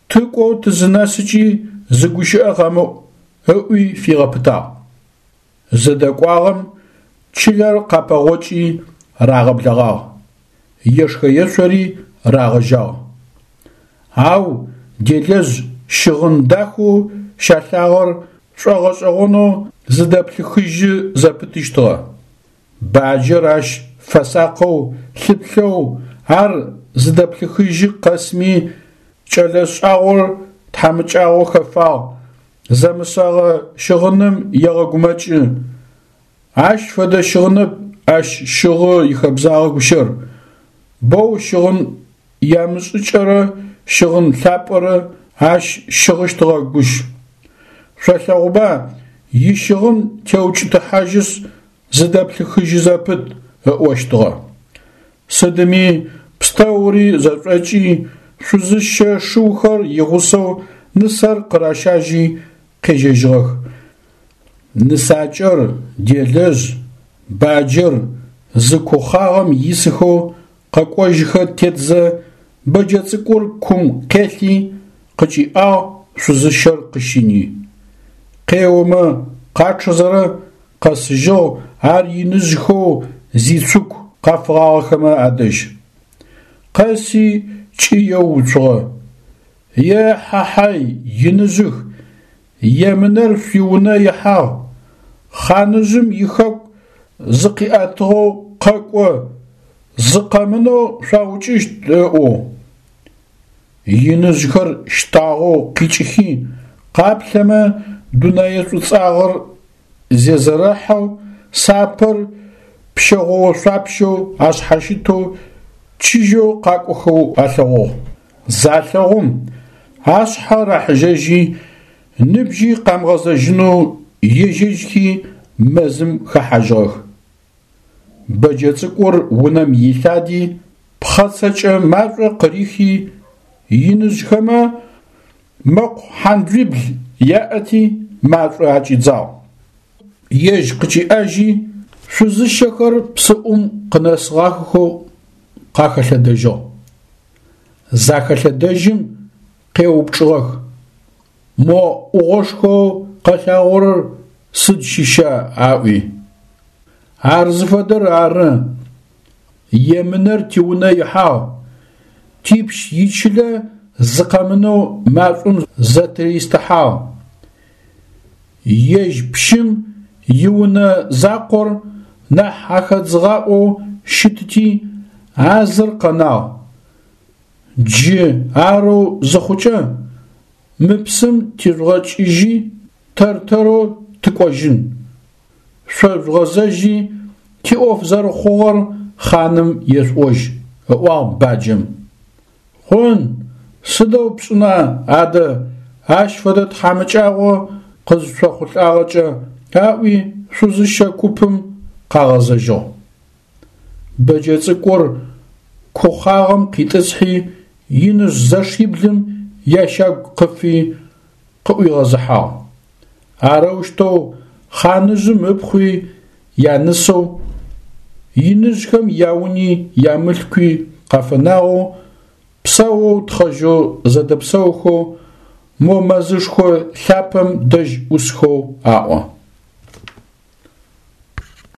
тыкӏоу тызынэсыкӏи зы гущыӏэ къэмыӏу, ыӏуи фигъэпытагъ. Зыдэкӏуагъэм чылэр къапэгъокӏи рагъэблэгъагъ, ешхэ-ешъори рагъэжьагъ. Ау делэжъ щыгъын дахэу щалъагъэр шӏогъэшӏэгъонэу зыдэплъыхыжьы зэпытыщтыгъэ. Баджэр ащ фэсакъэу лъыплъэу ар зыдэплъыхыжьы къэсми кӏэлэ шӏагъор тхьамыкӏагъо хэфагъ, зэмысэгъэ щыгъыным егъэгумэкӏы. Ащ фэдэ щыгъынэп ащ щыгъы ихэбзагъэ гущэр, боу щыгъын ямышӏыкӏэрэ щыгъын лъапӏэрэ ащ щыгъыщтыгъэ гущ. Шъолъэгъуба ищыгъын теукӏытыхьажьышъ зыдэплъыхыжьы зэпыт, ыӏощтыгъэ. Сыдми пстэури зэшӏокӏи, шъузыщэ шыухэр игъусэу нысэр къыращажьи къежьэжьыгъэх. Нысакӏэр, делэжъ, баджэр зы кухъагъэм исыхэу къэкӏожьыхэ тетзэ бэджэ цӏыкӏур кум къелъи къыкӏиӏагъ шъузыщэр къыщини. Къеомэ къачъэзэрэ къэсыжьыгъ ар иныжъхэу зицуку къафыгъагъэхэмэ адэжь. Къэси кӏыеу уцугъэ: Е-хьа-хьай, иныжъых, емынэр шъуиунэ ихьагъ, хъаныжъым ихэку зыкъиӏэтыгъэу къэкӏо, зы къэмынэу шъуаукӏыщт ыӏоу. Иныжъхэр щтагъэу къикӏыхи, къаплъэмэ дунэе шӏуцӏагъэр зезэрэхьэу, сапэр пщэгъо-ошъуапщэу ашъхьащытэу чыжьэу къакӏохэу алъэгъугъ. Залъэгъум, ашъхьэ рахьыжьэжьи, ныбжьи къамыгъэзэжьынэу ежьэжьхи мэзым хэхьажьыгъэх. Бэджэ цӏыкӏур унэм илъади, пхъэцэкӏэ машӏо къырихи, иныжъхэмэ мэкъу хьандзуибл яӏэти машӏо акӏидзагъ. Ежь къыкӏиӏажьи, шъузыщэхэр псыӏум къынэсыгъахэхэу къахэлъэдэжьыгъ. Захэлъэдэжьым къеупчӏыгъэх: Мо ӏугъошхоу къэлъагъорэр сыд щыща? Аӏуи. Ар зыфэдэр ары, емынэр тиунэ ихьагъ, типщ ичылэ зы къэмынэу машӏом зэтыристыхьагъ. Ежь пщым иунэ закъор нахь ахэдзыгъаӏоу щытыти, а зыр къэнагъ. Джы арэу зыхъукӏэ, мы псым тижъугъэкӏыжьи тэр-тэрэу тыкӏожьын. Шъо жъугъэзэжьи тиӏоф зэрэхъугъэр хъаным ешъуӏожь, ыӏуагъ баджэм. Хъун, сыдэу пшӏына адэ ащ фэдэ тхьамыкӏагъо къызышъохъулӏагъэкӏэ, аӏуи шъузыщэ купым къагъэзэжьыгъ. Бэджэ цӏыкӏур кухъагъэм къитӏысхьи, иныжъ зэшиблым ящагу къыфи къыӏуигъэзыхьагъ. Арэущтэу хъаныжъым ыпхъуи янысэу, иныжъхэм яуни ямылъкуи къафэнагъэу, псэоу тхъэжьэу зэдэпсэухэу мо мэзышхо лъапэм дэжь ӏусхэу аӏо.